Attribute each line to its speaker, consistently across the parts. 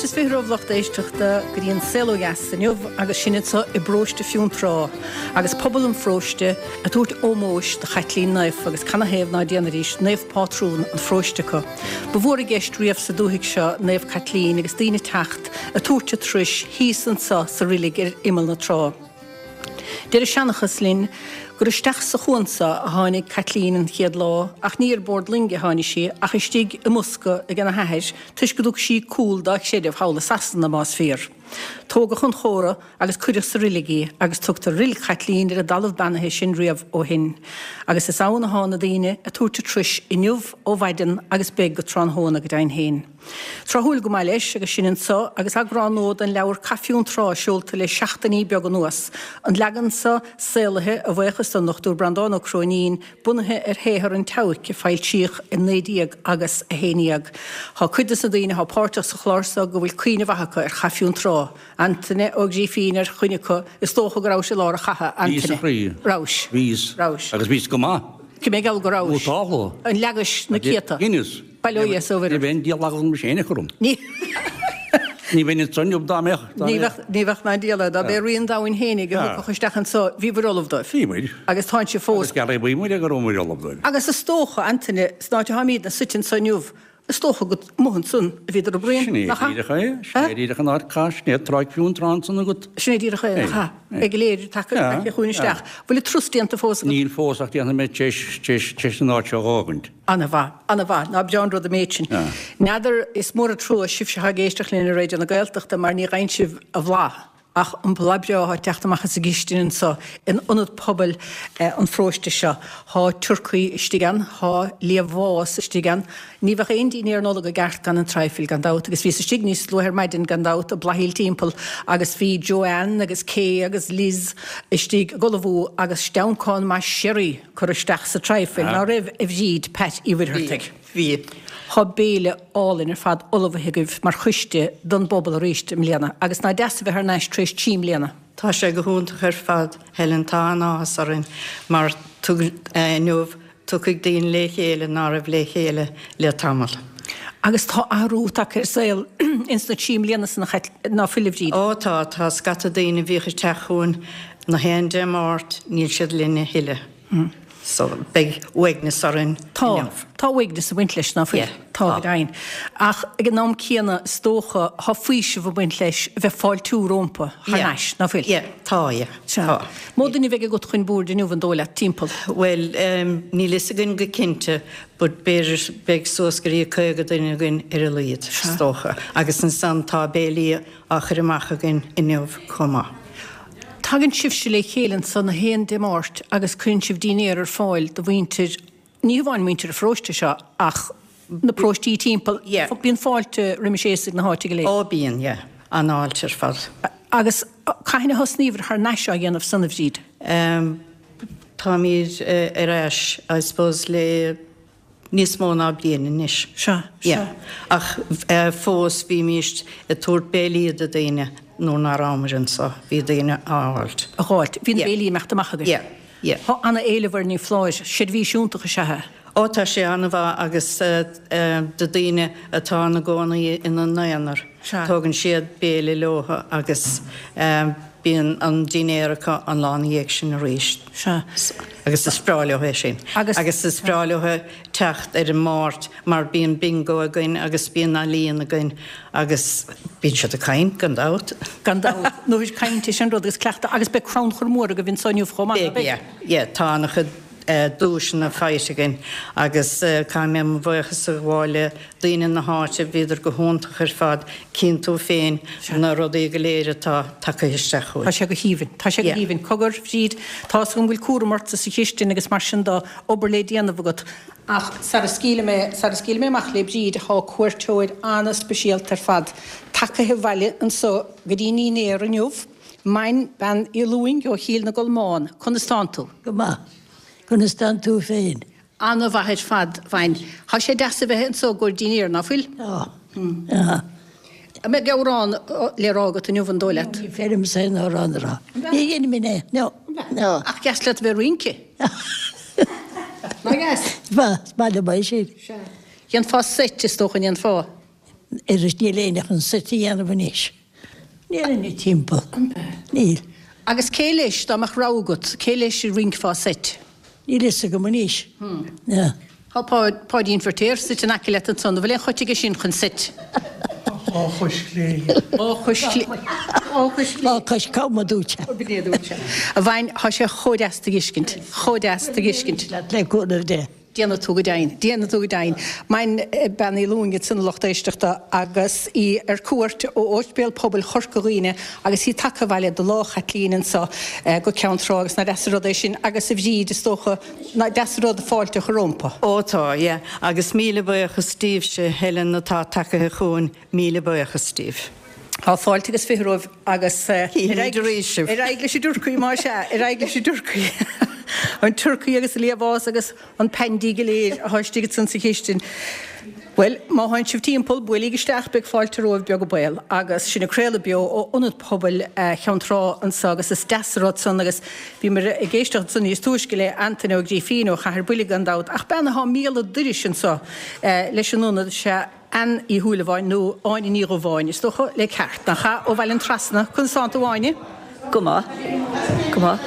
Speaker 1: Fáilte is 20 romhaibh lucht éisteachta go dtí an Saol Ó Dheas inniu agus sinn anseo i bparóiste Fionntrá agus pobal an pharóiste ag tabhairt ómóis do Chaitlín Naofa agus canathaobh ná déanfaidís naomh pátrún an pharóiste acu. Ba mhór i gceist riamh sa dúthaigh seo Naomh Caitlín agus daoine ag teacht ag tabhairt a turais thíos anseo sa roilig ar imeall na trá. Deir an seanchas linn gur isteach sa chuan so a tháinig Caitlín an chéad lá ach ní ar bord loinge a tháinig sí ach istigh i mbosca ag ena hathair toisc go dtug sí cúl dá chreideamh thall i Sasana, más fíor. Tógadh chun chóra agus cuireadh sa roilig í agus tugtar Roilig Chaitlín ar an dtalamh beannaithe sin riamh ó shin. Agus is ann athá na daoine ag tabhairt a turais inniu ó mhaidean agus beidh go tráthnóna go deimhin féin. Tráthúil go maith leis agus sinn anso agus eagrán nua den leabhar Cath Fionntrá seolta le seachtainí beaga anuas. An leagan seo saolaithe, a bhuíochas don Dr Breandán Ó Cróinín, bunaithe ar shaothar an tSeabhaic a foilsíodh i 19 agus 11. Tá cuid des na daoine atá páirteach sa chlár seo go bhfuil cuimhne mhaith acu ar Chath Fionntrá. Antaine Ó Grífín ar dhuine acu, is dócha go rabhais i lár an chatha,
Speaker 2: Bhíos
Speaker 1: Antaine.
Speaker 2: a chroí.
Speaker 1: Rabhais.
Speaker 2: Bhíos.
Speaker 1: Rabhais.
Speaker 2: Agus bhíos go maith.
Speaker 1: Cé mé geall go rabhais.
Speaker 2: Vótáladh.
Speaker 1: An leagais na céadta.
Speaker 2: Dheineas.
Speaker 1: Bail ó Dhia is ó Mhuire.
Speaker 2: Ní bheinn diabhal agam mise féin a chur orm.
Speaker 1: Ní.
Speaker 2: Ní bheinn anso inniu dá mbeadh.
Speaker 1: Ní bheadh, ní bheadh ná diabhal air. Dá b'é Rí an Domhain fhéinig a thiocfadh isteach anso, bhíobhair ullamh dóibh.
Speaker 2: Bhí muid.
Speaker 1: Agus tánn sibh fós.
Speaker 2: Agus gearradh bhí muid ag go raibh muid ullamh dóibh.
Speaker 1: Agus is dócha, Antaine, san áit atáimídne suite anso inniu, is dócha gur amuigh ansan a bhíodar ag bruíon,
Speaker 2: Sin é
Speaker 1: nach ea?
Speaker 2: díreach é. Sin é díreach an áit cath, sin é Tráigh Fionntrá ansan agat.
Speaker 1: Sin é díreach é, nach ea? Ag léiriú taca, taca chugainn isteach. Bhfuil an turas déanta fós agat?
Speaker 2: Níl fós ach déanfaidh mé tar éis, tar éis an áit seo a dh'fhágaint.
Speaker 1: Ana-mhaith, ana-mhaith. Ná breá an rud an méid sin. N'fheadar, is mór an trua sibhse atá ag éisteacht linn ar Raidió na Gaeltachta mar ní fhaigheann sibh a bhlath ach an blas breá atá ag teacht amach as an gcistin anso in ionad pobail an pharóiste seo. Thá turcaí istigh ann, thá liamhás istigh ann. Ní bheadh aon dínnéar Nollag i gceart gan an traidhfil, gan dabht, agus bhíos istigh níos luaithe ar maidin, gan dabht, ag blathaíl timpeall agus bhí Joanne agus Kay agus Liz istigh ag ullmhú agus steancán maith sherry curtha isteach sa traidhfil, ná raibh, a Bhríd, Pat Uí Mhuircheartaigh?
Speaker 3: Bhí, bhí.
Speaker 1: Thá béile álainn ar fad ullmhaithe agaibh mar choiste don bpobal arís i mbliana, agus ná deas a bheith thar n-ais tar éis 3 mbliana.
Speaker 3: Tá sé go hiontach ar fad, Helen, tá an-áthas orainn mar inniu tiocfaidh daoine le chéile ná raibh le chéile le tamall.
Speaker 1: Agus tá athrú tagtha ar an saol ins na 3 mbliana san, ná fuil, a Bhríd?
Speaker 3: Ó tá, tá scata daoine a bhíodh ag teacht chugainn na haon Dé Máirt, níl siad linn a thuilleadh. So beidh uaigneas orainn
Speaker 1: Tá,
Speaker 3: inniu.
Speaker 1: tá uaigneas ag baint leis, ná fuil?
Speaker 3: Yeah,
Speaker 1: Tá,
Speaker 3: tá.
Speaker 1: go deimhin. Ach ag an am céanna, is dócha, tá faoiseamh ag baint leis a bheith fáiltiú rómpa thar
Speaker 3: Yeah,
Speaker 1: n-ais, ná fuil?
Speaker 3: yeah, tá, yeah,
Speaker 1: Sea.
Speaker 3: tá.
Speaker 1: Mó duine a bheidh agat chun boird inniu, an dóigh leat, timpeall?
Speaker 3: Bhuel, níl fhios againn go cinnte, but b'fhéidir beidh suas go dtí 50 duine againn ar a laghad, is dócha. Agus ansan tá béilí á chur amach againn inniu chomh maith.
Speaker 1: Tagann sibhse le chéile anso na haon Dé Máirt agus cuireann sibh dínnéar ar fáil do mhuintir, ní hamháin muintir an pharóiste seo ach na paróistí timpeall.
Speaker 3: Yeah.
Speaker 1: Bíonn fáilte roimis aosaigh na háite go léir.
Speaker 3: Ó bíonn, yeah. An-fháilte ar fad.
Speaker 1: Agus cathain a thosnaíobhair thar n-ais á dhéanamh san, a Bhríd?
Speaker 3: Em, táimid ar ais, I suppose, le níos mó ná bliain anois.
Speaker 1: Sea,
Speaker 3: Yeah.
Speaker 1: sea.
Speaker 3: Ach fós bhímíst ag tabhairt béilí do daoine nuair ná rabhamar anso. Bhí daoine á fháilt.
Speaker 1: A dh'fháilt. Bhí na
Speaker 3: Yeah.
Speaker 1: béilí ag imeacht amach agaibh.
Speaker 3: Yeah, yeah.
Speaker 1: Tá ana-éileamh air, ní foláir. Seirbhís iontach is ea é.
Speaker 3: Ó tá sé an-mhaith agus do daoine atá ina gcónaí ina n-aonar.
Speaker 1: Sea.
Speaker 3: Tógann siad béile leo agus bíonn an dinnéar acu an lá ina dhiaidh sin arís.
Speaker 1: Sea.
Speaker 3: Agus is breá leo é sin.
Speaker 1: Agus.
Speaker 3: Agus is breá leo teacht ar an Máirt mar bíonn bingo againn agus bíonn ealaíon againn agus bíonn siad ag caint, gan dabht.
Speaker 1: Gan dabht. Nó is caint é sin rud agus cleachtadh agus beidh crannchur mór agaibh anso inniu chomh maith, ná
Speaker 3: Beidh,
Speaker 1: beidh?
Speaker 3: yeah, yeah. Tá an-chuid duaiseanna faighte againn agus caithfidh mé mo bhuíochas a ghabháil le daoine na háite, bhíodar go hiontach ar fad, cíonn tú féin na rudaí go léir atá tagtha isteach chugainn.
Speaker 1: Tá sé go haoibhinn. Tá sé go haoibhinn. Cogar, Bhríd, tá 'fhios agam go bhfuil cúram ortsa sa chistin agus mar sin de, obair le déanamh agat, ach sara scaoilfidh mé, sara scaoilfidh mé amach le Bríd, thá cuairteoir ana-speisialta ar fad tagaithe abhaile anso go dtí an ndinnéar inniu, Main Bean Uí Lúing ó Chill na gColmán. Conas tánn tú?
Speaker 4: Go maith. Conas tánn tú féin?
Speaker 1: Ana-mhaith ar fad, Mhain. Thá sé deas a bheith anso i gcomhair dinnéir, ná fuil?
Speaker 4: Tá. Tá.
Speaker 1: An mbeidh amhrán le rá agat inniu, an dóigh leat?
Speaker 4: Ní féidir liomsa aon amhrán a rá. Ní dhéanfaidh mé é. No. No.
Speaker 1: Ach deas leat a bheith ag rince. Nach deas?
Speaker 4: Is maith liom é sin.
Speaker 1: Sea. Dhéanfá seit, is dócha, an ndéanfá?
Speaker 4: Oiread níl éinne chun seit a dhéanamh anois. Níl éinne timpeall. Níl.
Speaker 1: Agus cé leis, dá mbeadh rogha agat, cé leis a rincfeá seit?
Speaker 4: Níl fhios agam anois.
Speaker 1: Tá Páidín Feirtéar suite in aice leat ansan, an bhfuil aon choit aige sin chun seit?
Speaker 5: Dhá chois chlé.
Speaker 1: Dhá chois chlé.
Speaker 4: Dhá chois chlé. Dhá chois cam, a dúirt sé.
Speaker 1: B'in é a dúirt sé. A Mhaim, tá sé chomh deas tú a fheiscint. Chomh deas tú a fheiscint.
Speaker 4: Le cúnamh Dé.
Speaker 1: Déanfaidh tú go deimhin. Déanfaidh tú go deimhin. Maim Bean Uí Lúing ansin a lucht éisteachta agus í ar cuairt ó Ospidéal Pobail Chorca Dhuibhne agus í tagtha abhaile do Lá Chaitlín anso go Ceann Trá agus nach deas an rud é sin agus a Bhríd is dócha nach deas an rud fáilte a chur rómpa.
Speaker 3: Ó tá, yeah. Agus míle buíochas daoibhse, Helen, atá tagaithe chugainn, míle buíochas daoibh.
Speaker 1: Tá fáilte agus 20 romhaibh agus ar aghaidh leis an dturcaí más ea, ar aghaidh leis an dturcaí. An turcaí agus an liamhás agus an pandy go léir atá istigh ansan sa chistin. Bhuel, má thánn sibh timpeall, buailíg isteach, beidh fáilte romhaibh beag an baol. Agus sinn ag craoladh beo ó Ionad Pobail Cheann Trá anso agus is deas an rud san agus bhíomar ag éisteacht ansan níos túisce le Antaine Ó Grífín ó Chathair Buile gan dabht ach bean atá míle dorais anso leis an ionad, sea, Ann Uí Shúilleabháin, nó Áine Ní Dhubháin, is dócha, le ceart, nach ea? Ó Bhaile an Trasna. Conas tánn tú, a Áine?
Speaker 6: Go maith. Go maith.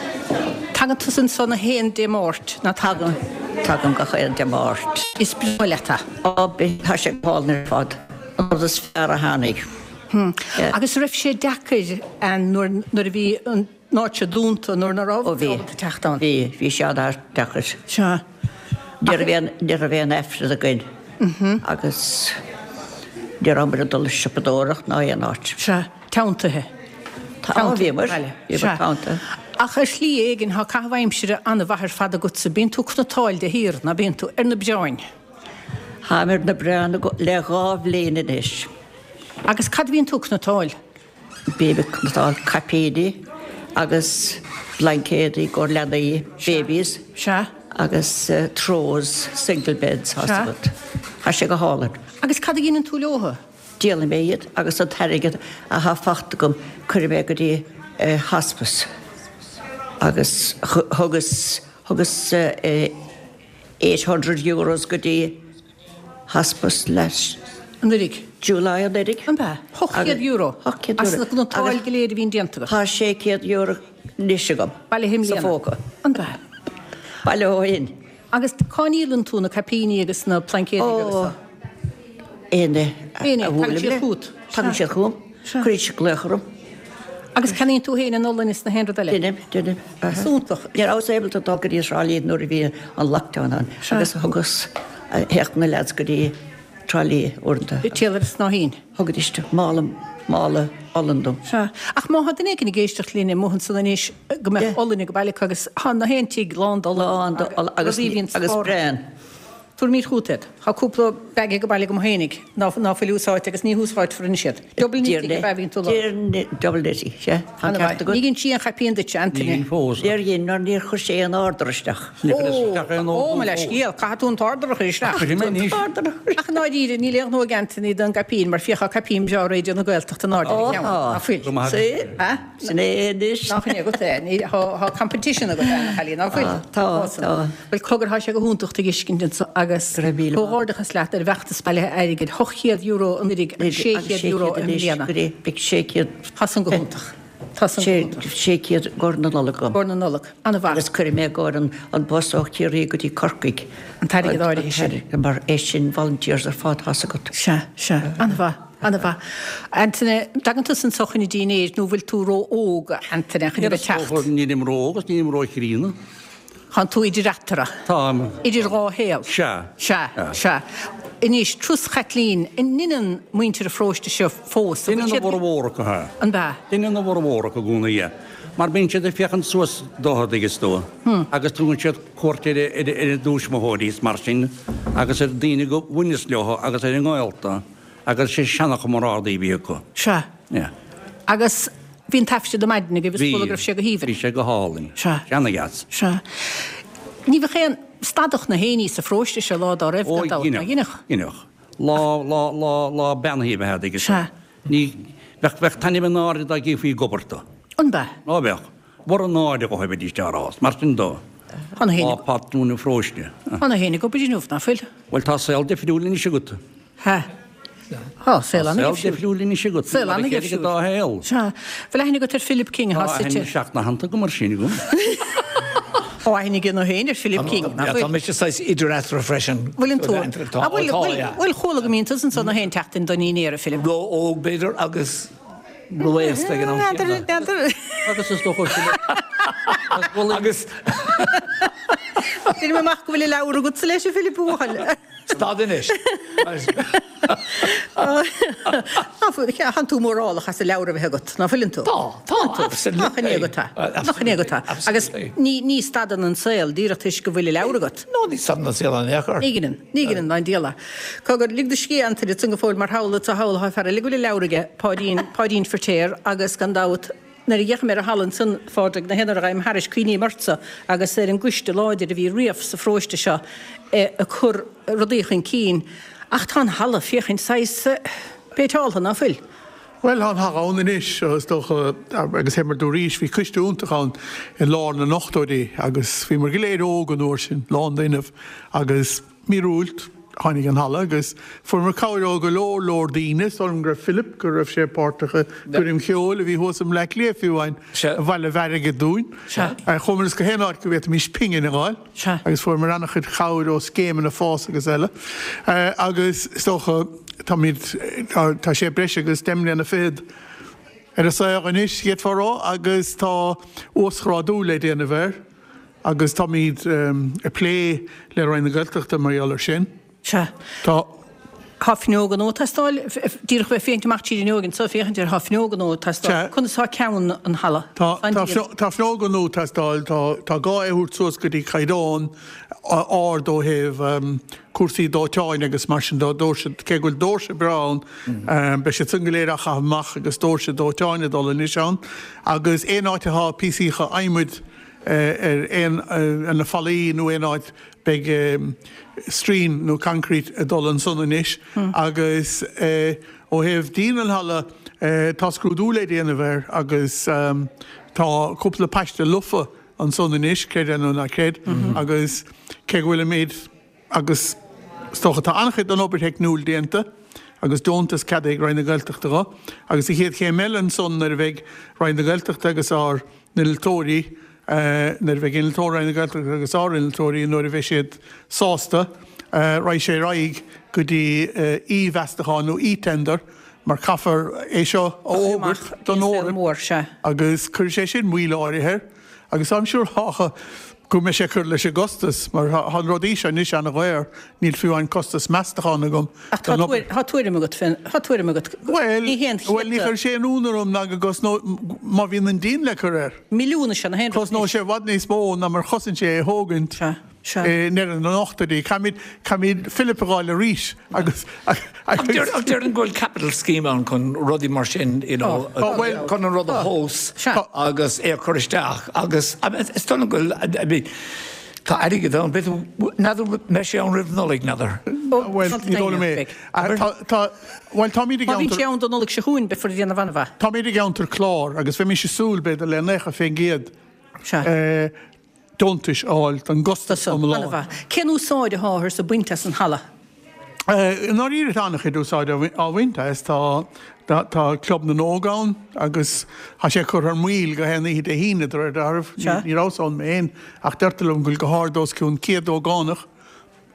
Speaker 1: Tagann tusa anso na haon Dé Máirt, nach
Speaker 6: dtagann? Tagaim. Tagaim gach aon Dé Máirt.
Speaker 1: Is breá leat
Speaker 6: é. Á, tá sé go hálainn ar fad. An rud is fearr a tháinig.
Speaker 1: Agus raibh sé deacair, Ann, nuair, nuair a bhí an. an áit seo dúnta nuair ná raibh
Speaker 6: Ó bhí.
Speaker 1: ábalta teacht ann.
Speaker 6: Bhí, bhí sé an-deacair.
Speaker 1: Sea.
Speaker 6: Ní raibh aon, ní raibh aon aifreann againn agus ní rabhamar ag dul ag siopadóireacht ná aon áit.
Speaker 1: Sea. Teanntaithe.
Speaker 6: Tá, bhíomar. Bhíomar teanntaithe.
Speaker 1: Ach ar shlí éigin tá caitheamh aimsire an-mhaith ar fad agatsa. Bíonn tú ag cniotáil de shíor, ná bíonn tú, ar na bréáin?
Speaker 6: Táim ar na bréáin le dhá bhliain anois.
Speaker 1: Agus cad a bhíonn tú ag cniotáil?
Speaker 6: Bím ag cniotáil caipíní agus blaincéadaí i gcomhair leanaí, babies,
Speaker 1: Sea.
Speaker 6: agus throws, single beds, tá
Speaker 1: Sea.
Speaker 6: agat. Tá sé go hálainn.
Speaker 1: Agus cad a dheineann tú leotha?
Speaker 6: Díolann mé iad agus an t-airgead athá fachta agam cuirim é go dtí hospice agus thugas, thugas €800 go dtí Hospice last.
Speaker 1: Anuraidh.
Speaker 6: July anuraidh.
Speaker 1: An ea? €800?
Speaker 6: €800.
Speaker 1: As na cniotáil go léir a bhíonn déanta agat?
Speaker 6: Tá €600 anois agam.
Speaker 1: Bailithe i mbliana.
Speaker 6: Sa phóca.
Speaker 1: An ea?
Speaker 6: Bailithe ó shin.
Speaker 1: Agus cá ndíolann tú na caipíní agus na plaincéadaí agus
Speaker 6: Ó, éinne
Speaker 1: a
Speaker 6: a
Speaker 1: Éinne, tagann
Speaker 6: bhuailim
Speaker 1: siad
Speaker 6: le.
Speaker 1: chugat.
Speaker 6: Tagann siad chugam. Cuireann siad glaoch orm.
Speaker 1: Agus ceannaíonn tú féin an olann is na haon rud eile?
Speaker 6: Deinim, deinim.
Speaker 1: Is iontach.
Speaker 6: Ní rabhas ábalta dul go dtí Trá Lí nuair a bhí an lockdown ann agus thugas, théadh na leaids go dtí Trá Lí uaireanta.
Speaker 1: Téadar snáithín.
Speaker 6: Thugaidís mála, mála olann dom.
Speaker 1: Sea. Ach má thá duine éigin ag éisteacht linn amuigh ansan anois go mbeadh olann ag baile acu agus thá na haon tigh lán d'olann.
Speaker 6: Lán d'olann agus, agus braon.
Speaker 1: Tabharfaimid chugat iad. Tá cúpla bag ag baile agam fhéinig ná ná fuil úsáidte agus ní húsáidfear anois iad. Double knitting ab ea a bhíonn tú a
Speaker 6: lorg? Double knitting, sea. Tá an ceart agat.
Speaker 1: Ní dhein sí aon chaipín duitse, Antaine.
Speaker 2: Ní dhein fós.
Speaker 6: Níor dhein, mar níor chuir sé aon order isteach.
Speaker 2: Níor chuir isteach aon order
Speaker 1: Ó, mo leithscéal, caithfidh tú an t-order a chur isteach.
Speaker 2: Cuirfidh mé anois.
Speaker 1: Ach i ndáiríre, níl aon ghnó ag Anthony don gcaipín mar féach tá caipín breá Raidió na Gaeltachta in airde ar a cheann.
Speaker 6: Ó,
Speaker 1: Ná fuil?
Speaker 2: Go maith agat.
Speaker 1: Ha?
Speaker 6: Sin é anois.
Speaker 1: Nach in é agat é? Ní, tá competition agat, a chailín, ná fuil?
Speaker 6: Tá, tá.
Speaker 1: Bhuel, cogar, tá sé go hiontach tú a fheiscint anso agus
Speaker 6: Go raibh míle maith.
Speaker 1: comhghairdeachas leat ar an bhfeachtas bailithe airgid, €800 anuraidh agus €600 i mbliana.
Speaker 6: Beidh 600.
Speaker 1: Tá san go hiontach. Tá san go hiontach.
Speaker 6: 600 i gcomhair na Nollag agam.
Speaker 1: I gcomhair na Nollag. An-mhaith.
Speaker 6: Agus cuirfidh mé i gcomhair an bus ó Chiarraí go dtí Corcaigh.
Speaker 1: An t-airgead áirithe sin.
Speaker 6: Mar é sin volunteers ar fad, tá's agat.
Speaker 1: Sea, sea. An-mhaith. An-mhaith. Antaine, dtagann tusa anso chun an dinnéir nó bhfuil tú ró-óg, a Antaine, chun a bheith ag teacht?
Speaker 2: Nílim ró-óg agus nílim ró-chríonna.
Speaker 1: Tánn tú idir eatarthu.
Speaker 2: Táim.
Speaker 1: Idir dhá shaol.
Speaker 2: Sea.
Speaker 1: Sea, sea. Anois, Turas Chaitlín, an ndeineann muintir an pharóiste seo fós?
Speaker 2: Deineann a bhformhór acu, sea.
Speaker 1: An ea?
Speaker 2: Deineann a bhformhór acu i gcónaí é. Mar bíonn siad ag féachaint suas dótha, an dtuigeann tú, agus tugann siad cuairt ar a dtuismitheoirí is mar sin agus ar daoine go bhaineas leo agus ar a ngaolta. Agus sé seanchomrádaí a bhí acu.
Speaker 1: Sea.
Speaker 2: Yeah.
Speaker 1: Agus bhí an taifreann ar maidin agaibh, is chuala go raibh sé go haoibhinn.
Speaker 2: Bhí sé go hálainn.
Speaker 1: Sea.
Speaker 2: Ana-dheas.
Speaker 1: Sea. Ní bheadh aon stadadh na héinní sa pharóiste seo lá dá raibh, gan dabht, ná dheineadh?
Speaker 2: Ó, dheineadh. Lá, lá, lá, lá beannaithe ab ea é, agus.
Speaker 1: Sea.
Speaker 2: Ní, bheadh, bheadh taitneamh an náire dá gcífí ag obair tú.
Speaker 1: An b'ea?
Speaker 2: Á, bheadh. Mhura náire dhóibh bheidís á rá. Mar sin dó.
Speaker 1: Tá na héinne.
Speaker 2: Lá patrún an pharóiste.
Speaker 1: Tá na héinne ag obair inniu, ná fuil?
Speaker 2: Bhuel, tá saol difriúil anois agat.
Speaker 1: Ha. Tá saol
Speaker 2: ana-dheifriúil. Saol difriúil anois agat.
Speaker 1: Saol ana-dheifriúil.
Speaker 2: Dá shaol.
Speaker 1: Sea. Bhfuil aithne agat ar Philip King atá
Speaker 2: suite. Tá aithne seachnaitheanta agam ar sin agam.
Speaker 1: Tá aithne aige nó féin ar Philip King, nach bhfuil?
Speaker 7: Tá mise saghas idir eatarthu freisin.
Speaker 1: Bhfuileann tú? Tá, bhfuil, bhfuil, chuala go mbíonn tusa anso gach aon tseachtain don ndinnéar, a Philip.
Speaker 7: Ró-óg, b'fhéidir, agus ró-aosta ag an am céanna.
Speaker 1: N'fheadar.
Speaker 2: Agus is dócha
Speaker 7: Agus.
Speaker 1: Deirim amach go bhfuil a leabhar agatsa leis, a Philip, a bhuachaill.
Speaker 7: Stad anois.
Speaker 1: Tánn tú mórálach as a leabhar a bheith agat, ná fuileann tú?
Speaker 7: Tá, tá, absolutely.
Speaker 1: Nach in é agat é? Nach in é agat é? Agus ní stadann an saol díreach toisc go bhfuil a leabhar agat.
Speaker 7: No, ní stadann an saol in aon chor.
Speaker 1: Ní dheineann, ní dheineann ná an diabhal é. Cogar, lig do scíth Antaine ansan go fóill mar shamhlaigh, shamhlófá fear eile go bhfuil a leabhar aige, Páidín, Páidín Firtéar agus gan dabht, Nuair a d'fhéachaim ar an halla ansan, a Phádraig, na haon uair a ghabhaim thairis, cuimhním ortsa agus ar an gcoiste láidir a bhí riamh sa pharóiste seo ag cur rudaí chun cinn. Ach tá an halla, féachaint, saghas péinteáltha, ná fuil?
Speaker 5: Bhuel, tá an halla ann anois, is dócha, agus fé mar dúraís, bhí coiste iontach ann i lár na n-ochtóidí agus bhíomar go léir óg an uair sin, lán d'fhuinneamh agus, Míorúilt, tháinig an halla agus fuaireamar cabhair ó go leor leor daoine. Is dóigh liom go raibh Philip, go raibh sé páirteach i gcoirm cheoil a bhí thuas i mBleá Cliath fiú amháin, a bhailigh airgead dúinn. Chuamar gach aon áit go bhféadfaimis pingin a fháil agus fuaireamar an-chuid cabhair ó scéimeanna fás agus eile. Agus is dócha, táimid, tá sé breis agus deich mbliana fichead ar an saol anois, d'fhéadfá a rá, agus tá uasghrádú le déanamh air. Agus táimid ag plé le Roinn na Gaeltachta mar gheall air sin.
Speaker 1: Sea.
Speaker 5: Tá.
Speaker 1: Tá fuinneoga nua ag teastáil, díreach bheith féachaint amach tríd an fhuinneog anso, féachaint ar, tá fuinneoga nua ag teastáil.
Speaker 5: Sea.
Speaker 1: Conas tá ceann an halla?
Speaker 5: Tá, tá, tá fuinneoga nua ag teastáil, tá, tá gá é a thabhairt suas go dtí caighdeán ard ó thaobh cúrsaí dóiteáin agus mar sin de, doirse, cé go bhfuil doirse breá ann, beidh siad san go léir á chaitheamh amach agus doirse dóiteáin ag dul anois ann agus aon áit atá píosaíocha adhmaid, ar aon, ar na fallaí nó aon áit, beidh stroighin nó concrete ag dul ansan anois agus ó thaobh díon an halla, tá scrúdú le déanamh air agus tá cúpla paiste lofa ansan anois, creid é nó ná creid, agus cé go bhfuilimid. Agus is dócha, tá an-chuid den obair theicniúil déanta agus deontas ceadaithe ag Roinn na Gaeltachta dho. Agus an chéad chéim eile ansan nuair a bheidh Roinn na Gaeltachta agus ár n-innealtóirí, nuair a bheidh innealtóir Roinn na Gaeltachta agus ár n-innealtóirí, nuair a bheidh siad sásta, raghaidh sé ar aghaidh go dtí e-mheastachán nó e-tender mar caithfear é seo a fhógairt don Eoraip agus cuirfidh sé sin moill áirithe air. Agus táim siúráltha go mbeidh sé ag cur leis an gcostas, mar tá na rudaí seo anois ana-dhaor, níl fiú amháin costas meastachán agam
Speaker 1: Ach tá don obair. tá tuairim agat fén, tá tuairim agat.
Speaker 5: Bhuel,
Speaker 1: Ní haon
Speaker 5: bhuel, ní
Speaker 1: chiota.
Speaker 5: chuirfidh sé aon ionadh orm ná go gcosnóidh, má bhíonn an díon le cur air.
Speaker 1: Milliún is ea na haon rud
Speaker 5: Cosnóidh
Speaker 1: anois.
Speaker 5: sé i bhfad níos mó ná mar chosain sé é a thógaint.
Speaker 1: Sea. Sea.
Speaker 5: I ndeireadh na n-ochtóidí. Caithfimid, caithfimid Philip a dh'fháil arís agus,
Speaker 7: Ach deir, ach déarfainn go bhfuil capital scheme ann chun rudaí mar sin, you know,
Speaker 5: Tá, bhuel,
Speaker 7: chun an rud a thomhas
Speaker 1: Sea.
Speaker 7: agus é a chur isteach agus, I mean, is dóigh liom go bhfuil, I mean, tá airgead ann, b'fhéidir, n'fheadar mbeidh sé ann roimh Nollaig, n'fheadar.
Speaker 5: Bhuel, ní dóigh liom é. Tá, tá, bhuel, táimid i
Speaker 1: Má bhíonn
Speaker 5: gceantar,
Speaker 1: sé ann don Nollaig seo chugainn, beifear ag déanamh an-mhaith.
Speaker 5: táimid i gceantar clár agus bheimis ag súil, b'fhéidir, le 90%,
Speaker 1: Sea.
Speaker 5: deontais a fháil don gcostas iomlán.
Speaker 1: An-mhaith. Cén úsáid atáthar ag baint as an halla?
Speaker 5: I ndáiríre tá an-chuid úsáid á bhaint as. Tá tá Club na nÓg ann agus tá sé curtha ar maoil gach aon oíche Dé hAoine de réir dealraimh. Ní rabhas ann mé féin ach deirtear liom go bhfuil go hard os cionn 100 ógánach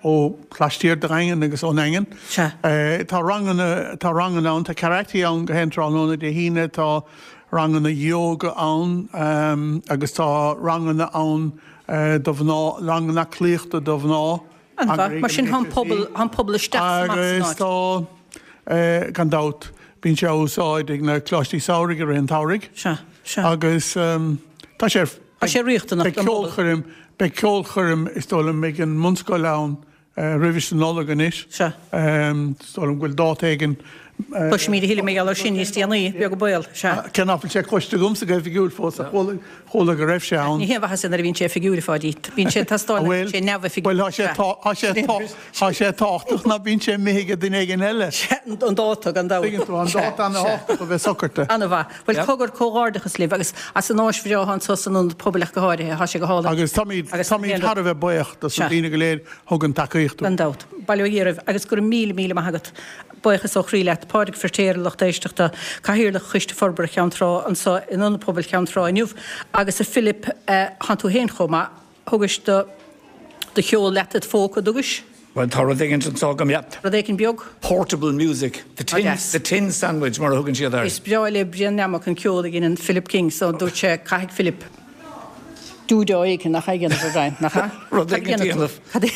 Speaker 5: ó laistiar de Dhaingean agus ón nDaingean. Tá ranganna, tá ranganna ann, tá karate ann gach aon tráthnóna Dé hAoine, tá ranganna yoga ann agus tá ranganna ann do mhná, ranganna aclaíochta do mhná.
Speaker 1: An-mhaith. Mar sin tá an pobal, tá an pobal isteach is amach san
Speaker 5: Agus
Speaker 1: áit.
Speaker 5: tá, gan dabht, bíonn sé á úsáid ag na coláistí samhraidh i rith an tsamhraidh.
Speaker 1: Sea, sea.
Speaker 5: Agus tá sé ar.
Speaker 1: Tá sé riachtanach
Speaker 5: don phobal. Beidh ceolchoirm, beidh ceolchoirm is dóigh liom ag an mbunscoil ann roimhis an Nollaig anois.
Speaker 1: Sea.
Speaker 5: Is dóigh liom go bhfuil dáta éigin
Speaker 1: Cloisfimid a thuilleadh mar gheall air sin níos déanaí, beag an baol. Sea.
Speaker 5: Cé nach bhfuil sé cloiste agamsa go hoifigiúil fós, ach chuala go raibh sé ann.
Speaker 1: Ní haon mhaitheas é nuair a bhíonn sé oifigiúil, a Pháidí. Bíonn sé ag teastáil nuair a bhíonn sé neamhoifigiúil.
Speaker 5: Bhuel, tá sé, tá sé tábhachtach ná bíonn sé imithe ag duine éigin eile.
Speaker 1: Sea, an dáta, gan dabht.
Speaker 5: Tuigeann tú, an dáta ana-thábhachtach a bheith socraithe.
Speaker 1: Ana-mhaith. Bhuel, cogar, comhghairdeachas libh agus as an áis bhreá anseo san Ionad Pobail ach go háirithe. Tá sé go hálainn.
Speaker 5: Agus táimid, táimid thar a bheith buíoch dos na daoine go léir a thugann tacaíocht
Speaker 1: dúinn. Gan dabht. Bail ó Dhia oraibh agus go raibh míle, míle maith agat. Buíochas ó chroí leat, Pádraig Firtéar, a lucht éisteachta, Cathaoirleach Choiste Forbartha Cheann Trá anseo in Ionad Pobail Cheann Trá inniu, agus a Philip, thánn tú féin chomh maith, thugais do do cheol leat id phóca, dtugais?
Speaker 7: Bhuel, tá rud éigin anseo agam, yeah.
Speaker 1: Rud éigin beag?
Speaker 7: Portable music, the tin, the tin sandwich mar a thugann siad air.
Speaker 1: Is breá le Brian Nammock an ceol a dheineann Philip King so dúirt sé caithfidh Philip dúdá éigin nach é a dhéanamh a Bhrian, nach ea?
Speaker 7: Rud éigin a dhéanamh.
Speaker 1: Cad a,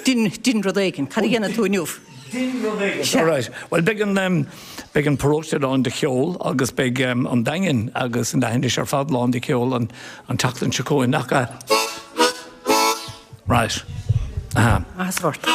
Speaker 1: dein, dein rud éigin. Cad a dhéanfaidh tú inniu?
Speaker 7: Dein rud éigin. Sea. Alright. Bhuel, beidh an, beidh an paróiste lán de cheol agus beidh an Daingean agus an Leithinis ar fad lán de cheol an, an tseachtain seo chugainn, nach ea? Right.
Speaker 1: Aha. Áthas ort.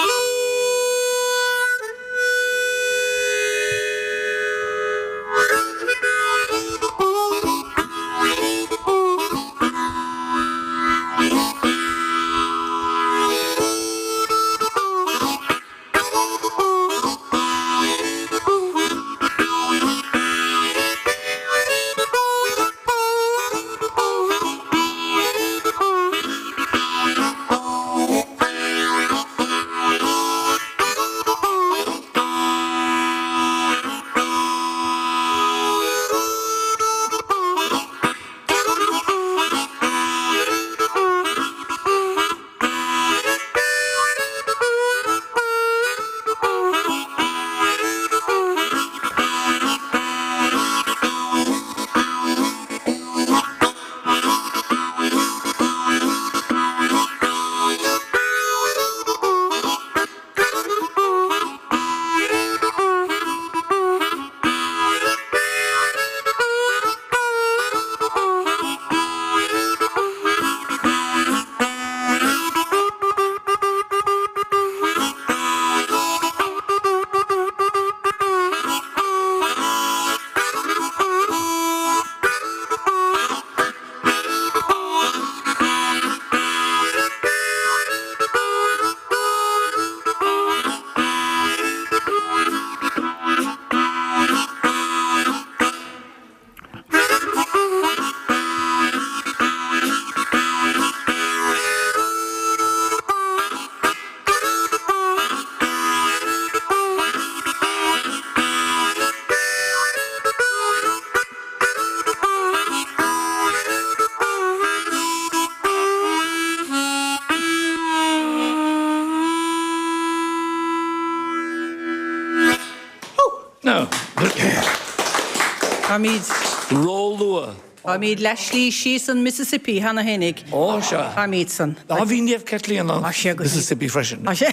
Speaker 1: Táimid.
Speaker 7: Ró-luath.
Speaker 1: Táimid leath slí síos an Mississippi cheana fhéinig.
Speaker 7: Ó, sea.
Speaker 1: Táimid san.
Speaker 7: Á, bhí Naomh Caitlín ann. Mississippi freisin.
Speaker 1: Á, sea.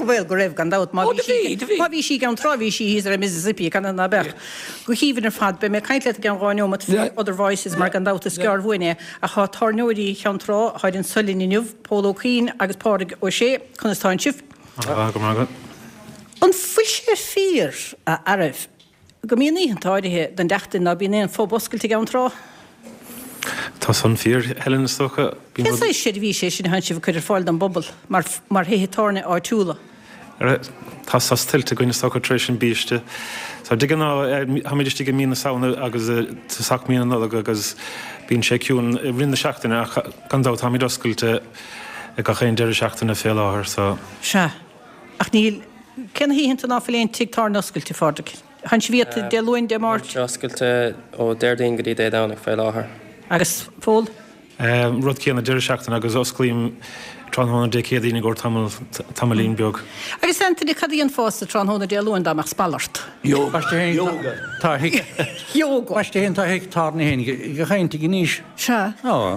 Speaker 1: Bhuel, go raibh, gan dabht. Má bhí sí, má bhí sí i gCeann Trá, bhí sí thíos ar an Mississippi, canathaobh ná beadh. Go haoibhinn ar fad. Beidh mé ag caint leat i gceann 2 neomat faoi Other Voices mar gan dabht is gearr uainn é. Ach tá tábhairneoirí Cheann Trá, tháid anso linn inniu, Pól Ó Cuinn agus Pádraig Ó Sé. Conas tánn sibh?
Speaker 8: Go maith agat.
Speaker 1: An bhfuil sé fíor, a fhearaibh, go mbíonn oícheanta áirithe den tseachtain ná bíonn aon phub oscailte i gCeann Trá?
Speaker 8: Tá san fíor, Helen, is dócha.
Speaker 1: Cén saghas seirbhíse é sin a thánn sibh ag cur ar fáil don bpobal mar mar thithe tábhairne áitiúla?
Speaker 8: Tá sos tuillte againn, is dócha, tar éis an biaiste. So de ghnáth, táimid istigh i mí na Samhna agus tosach mí na Nollag agus bíonn sé ciúin i rith na seachtaine ach gan dabht táimid oscailte gach aon deireadh seachtaine fé láthair so.
Speaker 1: Sea. Ach níl, cé na hoícheanta ná fuil aon tigh tábhairne oscailte, a Phádraig? Tánn sibh iata Dé Luain, Dé Máirt?
Speaker 9: Táimid oscailte ó Déardaoin go dtí Dé Domhnaigh fé láthair.
Speaker 1: Agus Pól?
Speaker 8: Rud céanna deireadh seachtaine agus osclaím tráthnóna Dé Céadaoin i gcomhair tamall, tamaillín beag.
Speaker 1: Agus Anthony, cad a dhéanfása tráthnóna Dé Luain dá mbeadh spal ort?
Speaker 2: Yoga. Tá
Speaker 1: Yoga.
Speaker 2: Baiste féin tá thigh tábhairne féin ag caint ag anois.
Speaker 1: Sea.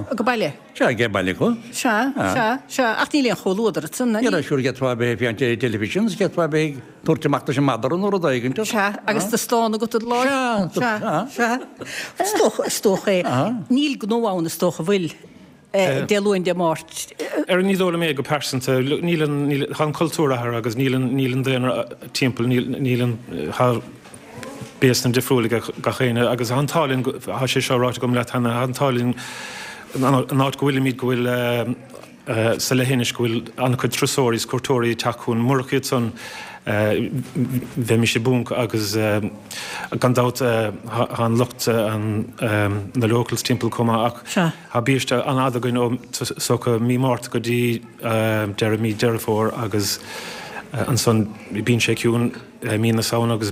Speaker 1: Go baile.
Speaker 2: Sea, ag baile go.
Speaker 1: Sea, sea, sea. Ach níl aon chomhluadar ansan,
Speaker 2: ná níl? Sure, d'fhéadfá a bheith ag féachaint ar an television, is d'fhéadfá a bheith ag tabhairt amach leis an madra nó rud éigin.
Speaker 1: Sea, agus do stán agat i do láimh.
Speaker 2: Sea,
Speaker 1: sea, sea. Is dócha, is dócha é. Níl gnó ann, is dócha, bhfuil, Dé Luain, Dé Máirt.
Speaker 8: Ar ní dóigh liom é go pearsanta. Níl an, níl, tá an cultúr athraithe agus níl an, níl an daonra timpeall, níl, níl an, tá. béasanna difriúil ag gach éinne agus tá an t-ádh linn, tá sé seo ráite agam leat cheana, tá an t-ádh linn an áit go bhfuilimid go bhfuil sa leithinis go bhfuil an-chuid turasóirí is cuairteoirí ag teacht chugainn. Murach iad san bheimis i bponc agus gan dabht tá an lucht na locals timpeall chomh maith ach tá biaiste an-fhada againn ó is dócha mí Márta go dtí deireadh mí Deireadh Fómhair agus ansan bíonn sé ciúin mí na Samhna agus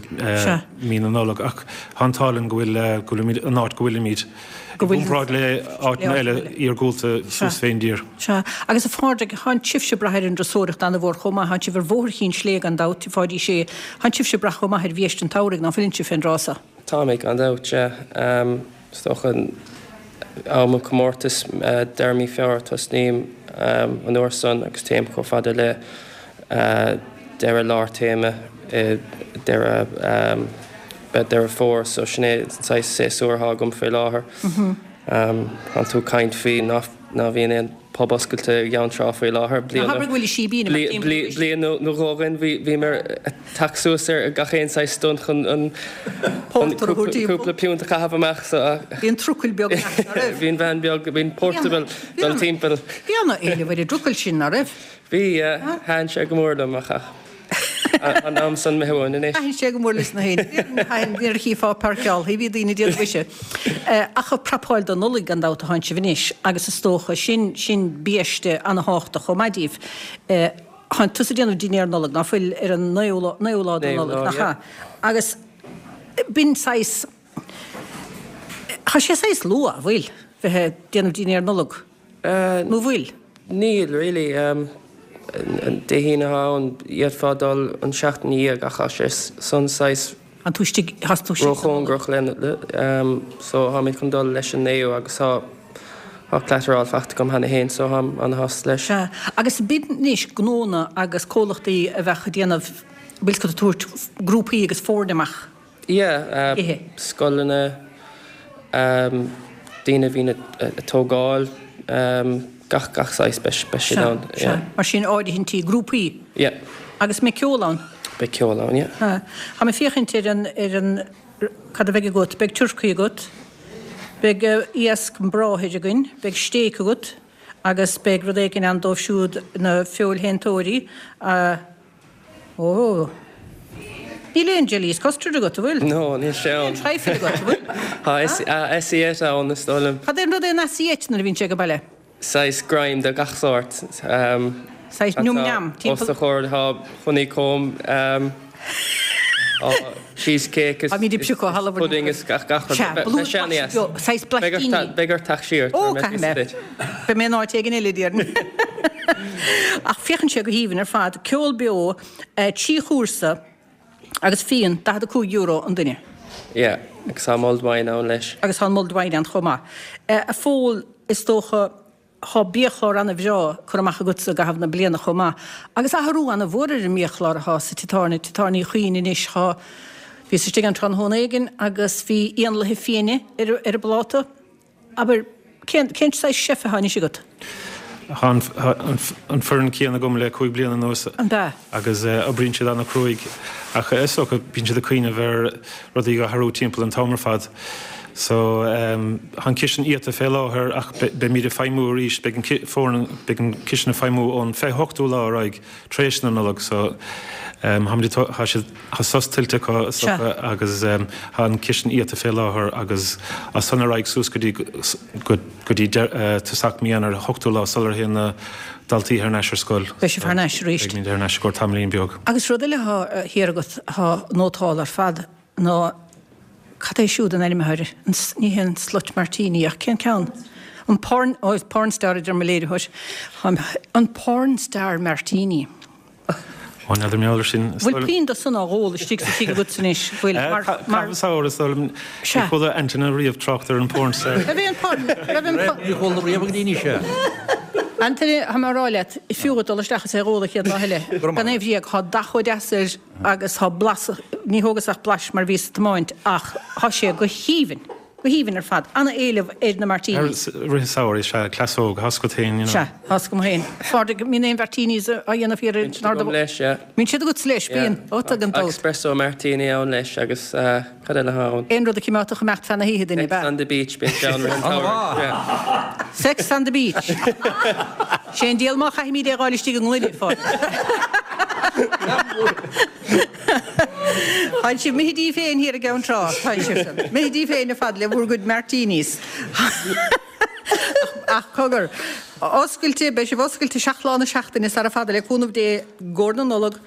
Speaker 8: mí na Nollag ach tá an t-ádh linn go bhfuil go bhfuilimid an áit go bhfuilimid. I gcomparáid le áiteanna eile iargúlta suas fén dtír.
Speaker 1: Sea. Agus a Phádraig, thánn sibhse ag brath ar an dturasóireacht ana-mhór chomh maith. Thánn sibh ar Bhóthar Chinn Slé gan dabht, Pháidí Sé. Thánn sibhse ag brath chomh maith ar bhiaiste an tsamhraidh, ná fuileann sibh fén dtráth so?
Speaker 9: Táimid, gan dabht, sea. Is dócha am an chomórtais, deireadh mí Feabhra, tosnaím an uair san agus téim chomh fada le deireadh lár téarma i deireadh Deireadh Fómhair so sin é an saghas séasúr atá agam faoi láthair. Tánn tú ag caint faoi ná bhíonn aon pub oscailte i gCeann Trá faoi láthair.
Speaker 1: Ná habair go bhfuil i síbín amach timpeall
Speaker 9: arís. Bliain nó dhó ó shin bhí mé ag teacht suas ar gach aon saghas stunt chun an
Speaker 1: Pórtar a thabhairt timpeall.
Speaker 9: cúpla piúnt a chaitheamh amach so.
Speaker 1: Bhí an trucail beag a'd, ná raibh?
Speaker 9: Bhí an veain beag, bhí an portable dul timpeall.
Speaker 1: Bhí ana-éileamh ar an dtrucail sin, ná raibh?
Speaker 9: Bhí, thaitin sé go mór liom ach. An am san imithe uainn anois.
Speaker 1: Thaitin sé go mór leis na héinne. Thaitin, nuair a chífeá páirceáil, bhí daoine ag déanamh mhuise. Ach ag prapáil don Nollaig gan dabht atánn sibh anois agus is dócha sin, sin biaiste ana-thábhachtach chomh maith díbh. Thánn tusa ag déanamh dinnéar Nollag, ná fuil, ar an naoú lá, naoú lá de Nollaig, nach ea? Agus b'in saghas, tá sé saghas luath, an bhfuil, bheith ag déanamh dinnéar Nollag? Nó bhfuil?
Speaker 9: Níl, really. Dé hAoine atá ann, d'fhéadfá dul an seachtain ina dhiaidh ach tá sé san saghas
Speaker 1: An tú istigh, tá tú istigh
Speaker 9: sa Nollaig. róchóngarach le, so táimid chun dul leis an naoú agus tá tá clatteráil faighte agam cheana féin so táim ana-shásta leis.
Speaker 1: Sea. Agus b'in anois gnónna agus comhlachtaí a bheadh ag déanamh, bhfuil 's agat ag tabhairt grúpaí agus foirne amach.
Speaker 9: Yeah, scoileanna, daoine a bhíonn ag tógáil, gach, gach saghas, beidh, beidh siad ann,
Speaker 1: yeah. Sea, mar sin áirithintí, grúpaí.
Speaker 9: Yeah.
Speaker 1: Agus mbeidh ceol ann?
Speaker 9: Beidh ceol ann, yeah.
Speaker 1: Sea. Tá mé ag féachaint ar an, ar an, cad a bheidh agat, beidh turcaí agat, beidh iasc bráthair againn, beidh stéic agat agus beidh rud éigin ann dóibh siúd, na feoilshéantóirí, a. Ó. Níl aon jelly is custard agat, an bhfuil?
Speaker 9: No, níl sé ann.
Speaker 1: Níl aon trifle agat, an bhfuil?
Speaker 9: Tá assiette ann, is dóigh liom.
Speaker 1: Cad é an rud é an assiette nuair a bhíonn sé ag baile?
Speaker 9: Saghas greim de gach sórt.
Speaker 1: Saghas nium niam,
Speaker 9: timpeall. Os do chomhair tá honeycomb, cheesecake is pudding is gach rud.
Speaker 1: Sea,
Speaker 9: Beidh sé an-deas.
Speaker 1: Saghas blaistíní.
Speaker 9: Beidh ort teacht siar.
Speaker 1: Ó, caithfidh mé. Beidh mé in áit éigin eile, déarfainn. Ach féachann sé go haoibhinn ar fad. Ceol beo, 3 chúrsa agus fíon, €45 an duine.
Speaker 9: Yeah, agus tá mulled wine ann leis.
Speaker 1: Agus tá an mulled wine ann chomh maith. A Phóil, is dócha, Tá biachlár ana-bhreá curtha amach agatsa i gcaitheamh na bliana chomh maith. Agus athrú ana-mhór ar an mbiachlár atá sa tigh tábhairne, Tigh Tábhairne Uí Chuinn anois. Tá, bhíos istigh ann tráthnóna éigin agus bhí éanlaithe fiaine ar ar an bpláta. Abair, cén, cén saghas chef atá anois agat?
Speaker 8: Tá an, an foireann céanna agam le 5 bliana anuas.
Speaker 1: An ea?
Speaker 8: Agus oibríonn siad ana-chruaidh ach is dócha bíonn siad ag cuimhneamh ar rudaí a athrú timpeall an t-am ar fad. So tá an cistin iata fé láthair ach beimid ag feidhmiú arís, beidh an foireann, beidh an cistin ag feidhmiú ón 28ú lá ar aghaidh tar éis na Nollag. So táimid ag, tá siad, tá sos tuillte acu is dócha agus tá an cistin iata fé láthair agus as san ar aghaidh suas go dtí, go dtí tosach mí Eanáir, 8ú lá sular théann na daltaí thar n-ais ar scoil.
Speaker 1: Beidh sibh thar n-ais arís.
Speaker 8: Beimid thar n-ais i gcomhair tamaillín beag.
Speaker 1: Agus rud eile atá thiar agat atá nótálta ar fad ná cad é siúd an ainm atá air, an, ní hé an slut martini ach cén ceann? An porn, oh porn star a deir mo léiritheoir. An porn star martini.
Speaker 8: Ó, n'fheadar mé ar sin.
Speaker 1: Bhfuil puinn de san á dh'ól istigh sa tigh agatsa anois? Bhfuil? Mar, mar.
Speaker 8: Caitheamh samhradh, is dóigh liom.
Speaker 1: Sea.
Speaker 8: Níor chuala Antaine riamh trácht ar an porn star.
Speaker 1: Raibh aon porn, raibh aon porn.
Speaker 2: Níor chuala riamh go dtí anois é.
Speaker 1: Antaine, tá mé a rá leat, fiú dhuit dul isteach is é dh'ól an chéad lá eile. Gan aon bhréag, tá dath chomh deas air agus tá blas, ní thógas ach blais mar bhíos ag tiomáint ach tá sé go haoibhinn. Go haoibhinn ar fad. Ana-éileamh ar na martinis.
Speaker 8: I rith an samhraidh, sea, cleasóg, tá a fhios agat féin, you know.
Speaker 1: Sea, tá a fhios agam féin. Pádraig, an mbíonn aon mhartinis á dhéanamh thiar in
Speaker 9: Bíonn siad agam leis, yeah.
Speaker 1: Bíonn siad agat leis, bíonn. Ó, tá gan
Speaker 9: Tá
Speaker 1: dabht.
Speaker 9: espresso martini ann leis agus cad eile atá ann?
Speaker 1: Aon rud a chimeádfadh imeacht feadh na hoíche duine,
Speaker 9: Sex on the beach, bíonn sé ann rith an tsamhraidh, yeah.
Speaker 1: Sex on the beach. Sé an diabhal má chaithfimid é a dh'fháil istigh i ngloine, a Phádraig. Tá'n sibh imithe díbh féin thiar i gCeann Trá, tá'n sibhsean. Imithe díbh féin ar fad le bhur gcuid martinis. Ach cogar, oscailte, beidh sibh oscailte 7 lá na seachtaine sara fada le cúnamh Dé i gcomhair na Nollag.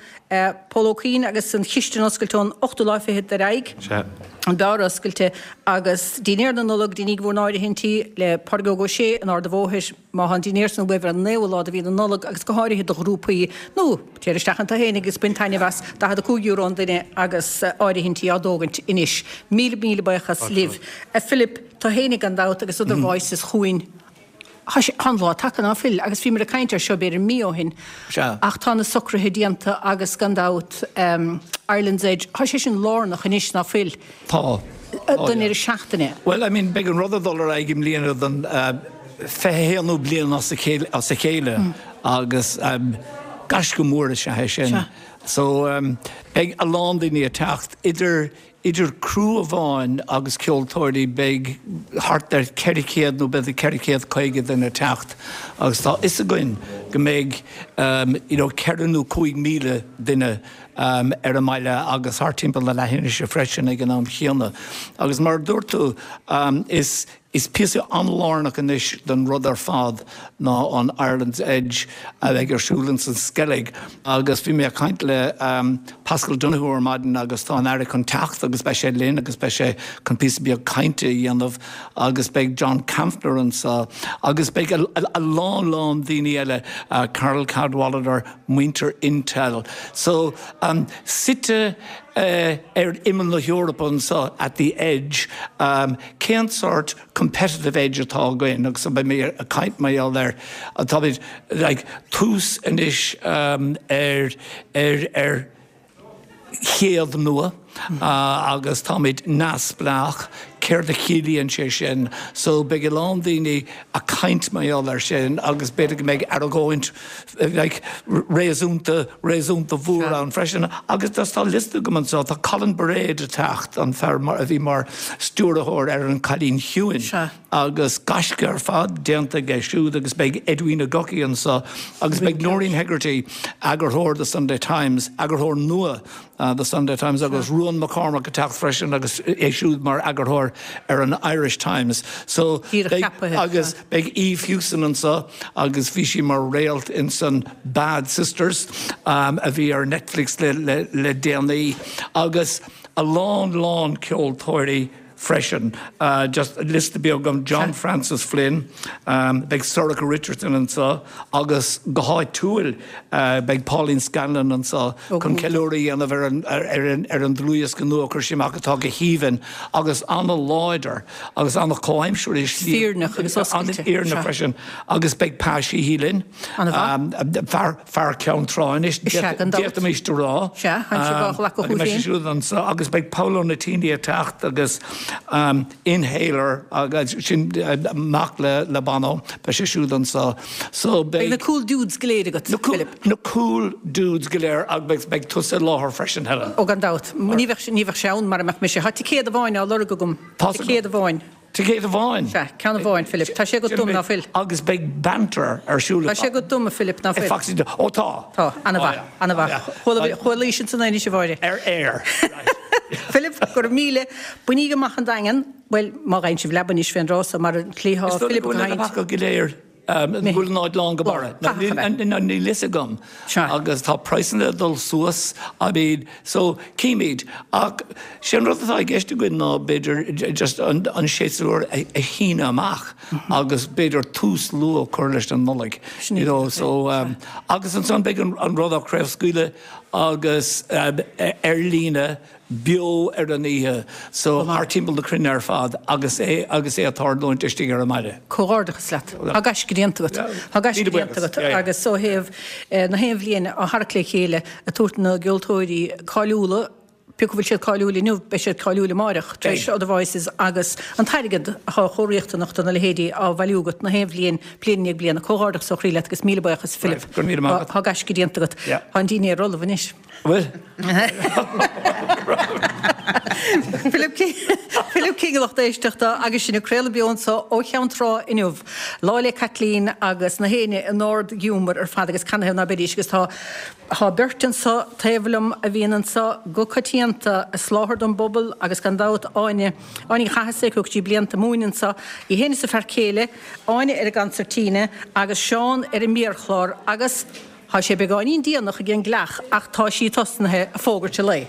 Speaker 1: Pól Ó Cuinn agus an chistin oscailte ón ochtú lá fichead ar aghaidh.
Speaker 8: Sea.
Speaker 1: An beár oscailte agus dinnéar na Nollag, deiníg bhur n-áirithintí le Pádraig Óg Ó Sé in Ard a' Bhóthair. Má tá an dinnéar san uaibh ar an naoú lá de mhí na Nollag agus go háirithe do ghrúpaí, nó téir isteach ann tú féin agus bain taitneamh as, €45 an duine agus áirithintí á dtógaint anois. Míle míle buíochas libh. A Philip, tú féinig gan dabht agus Other Voices chugainn. Tá sé, tá an lá tagtha ná fuil agus bhíomar ag caint air seo b'fhéidir mí ó shin ach tá na socruithe déanta agus gan dabht Ireland's Edge, tá sé sin lárnach anois ná fuil?
Speaker 7: Tá.
Speaker 1: Don deireadh seachtaine.
Speaker 7: Bhuel, I mean, beidh an rud ag dul ar aghaidh i mbliana don 21ú bliain as a chéile agus gaisce mór is ea é sin. So, beidh a lán daoine ag teacht, idir idir criú amháin agus ceoltóirí beidh thart ar 400 nó b'fhéidir 450 duine ag teacht agus tá fhios againn go mbeidh you know 4 nó 5,000 duine ar an mbaile agus thart timpeall na leathinise freisin ag an am chéanna. Agus mar a dúirt tú, is is píosa an-lárnach anois den rud ar fad ná an Ireland's Edge a bheidh ar siúl ins an Sceilg. Agus bhí mé ag caint le Paschal Donohoe ar maidin agus tá an Aire chun teacht agus beidh sé linn agus beidh sé chun píosa beag cainte a dhéanamh agus beidh John Kampfner anseo agus beidh a lán lán daoine eile, Carole Cadwalladr, muintir Intel. So, suite ar imeall na hEorpa anseo, at the edge, cén sórt competitive edge atá againn? Agus beidh mé ag caint mar gheall air, táimid, like, tús anois ar, ar, ar, chéad nua agus táimid neamhspleách, céard a chiallaíonn sé sin? So beidh a lán daoine ag caint mar gheall air sin agus b'fhéidir go mbeidh argóint like réasúnta, réasúnta mhór ann freisin. Agus just tá liosta agam anseo, tá Colin Bairéad ag teacht, an fear a bhí mar stiúrthóir ar An Cailín Ciúin. Agus gaisce ar fad déanta aige siúd agus beidh Edwina Gucci anseo agus beidh Noreen Hegarty, eagarthóir The Sunday Times, eagarthóir nua The Sunday Times agus Ruan McCormack ag teacht freisin agus é siúd mar eagarthóir ar an Irish Times. So beidh agus beidh Eve Hewson anseo agus bhí sí mar réalt insan Bad Sisters a bhí ar Netflix le déanaí agus a lán lán ceoltóirí freisin. Just liosta beag agam, John Francis Flynn, beidh Sorcha Richardson anseo agus go háitiúil beidh Pauline Scanlon anseo chun ceiliúradh a dhéanamh ar an ar an dlúthdhiosca nua a chuir sí amach atá go haoibhinn agus an-láidir agus an-chomhaimseartha i slí
Speaker 1: Fírinneach agus oscailte.
Speaker 7: An-fhírinneach freisin agus beidh Pa Sheehy linn.
Speaker 1: An-mhaith.
Speaker 7: Fear Fear Ceann Trá anois, d'fhéadfaimis a rá.
Speaker 1: Sea, tá sibh á ghlacadh chucu féin.
Speaker 7: Siúd anseo agus beidh Paolo Nutini ag teacht agus Inhaler agus sin mac le Bono, beidh sé siúd anseo.
Speaker 1: So beidh. Beidh na cool dudes go léir agat, Philip.
Speaker 7: Na cool dudes go léir agus beidh tusa i láthair freisin, Helen.
Speaker 1: Ó gan dabht. Ní bheadh sé ann mara mbeadh mise. Tá ticéad amháin á lorg agam. Ticéad amháin.
Speaker 7: Ticéad amháin.
Speaker 1: Sea, ceann amháin, Philip. Tá sé agat dom, ná fuil?
Speaker 7: Agus beidh banter ar siúl.
Speaker 1: Tá sé agat dom, a Philip, ná fuil?
Speaker 7: Foxy, Ó tá.
Speaker 1: Tá, ana-mhaith, ana-mhaith. Chualaís ansan anois, a Mháire.
Speaker 7: Ar aer.
Speaker 1: Philip, go raibh míle. Bainíg amach an Daingean, bhuel, má gheibheann sibh leaba anois fén dtráth so, mar an tslí thá Philip ag caint.
Speaker 7: Is dóigh go bhfuil na leapacha go léir Go bhfuil an áit lán go barra. Níl fhios agam. Agus tá praghsanna ag dul suas, I mean, so címid. Ach sé an rud atá i gceist againn ná b'fhéidir just an séasúr a shíneadh amach agus b'fhéidir tús luath a chur leis an Nollaig. You know, so, agus ansan beidh an rud á chraobhscaoileadh agus ar líne beo ar an oíche so thart timpeall na cruinne ar fad agus é agus é ag tarlúint istigh ar an mbaile.
Speaker 1: Comhghairdeachas leat. Tá gaisce déanta agat. Tá gaisce déanta agat agus ó thaobh na haon bhliain á tharrac le chéile ag tabhairt na gceoltóirí cáiliúla. Pé acu bhfuil siad cáiliúil inniu, beidh siad cáiliúil amáireach, tar éis Other Voices agus an t-airgead atá chomh riachtanach do na leithéidí á bhailiú agat na haon bhliain, bliain i ndiaidh bliana. Comhghairdeachas ó chroí leat agus míle buíochas, Philip.
Speaker 7: Go raibh míle maith agat.
Speaker 1: Tá gaisce déanta agat. Tá an dinnéar ullamh anois.
Speaker 7: Bhfuil?
Speaker 1: Philip King, Philip King a lucht éisteachta agus sinn ag craoladh beo anseo ó Cheann Trá inniu, Lá 'le Caitlín agus na héinne in ard-ghiúmar ar fad agus canathaobh ná beidís agus tá Tá beirt anseo taobh liom a bhíonn anseo go coitianta ag soláthar don bpobal agus gan dabht Áine, Áine Ní Chathasaigh, a thug sí blianta ag múineadh anseo, í féin is a fear céile, Áine ar an gconsairtín agus Seán ar an méarchlár agus tá sé beagáinín déanach ag an gcleach ach tá sí tosnaithe ag fógairt an lae.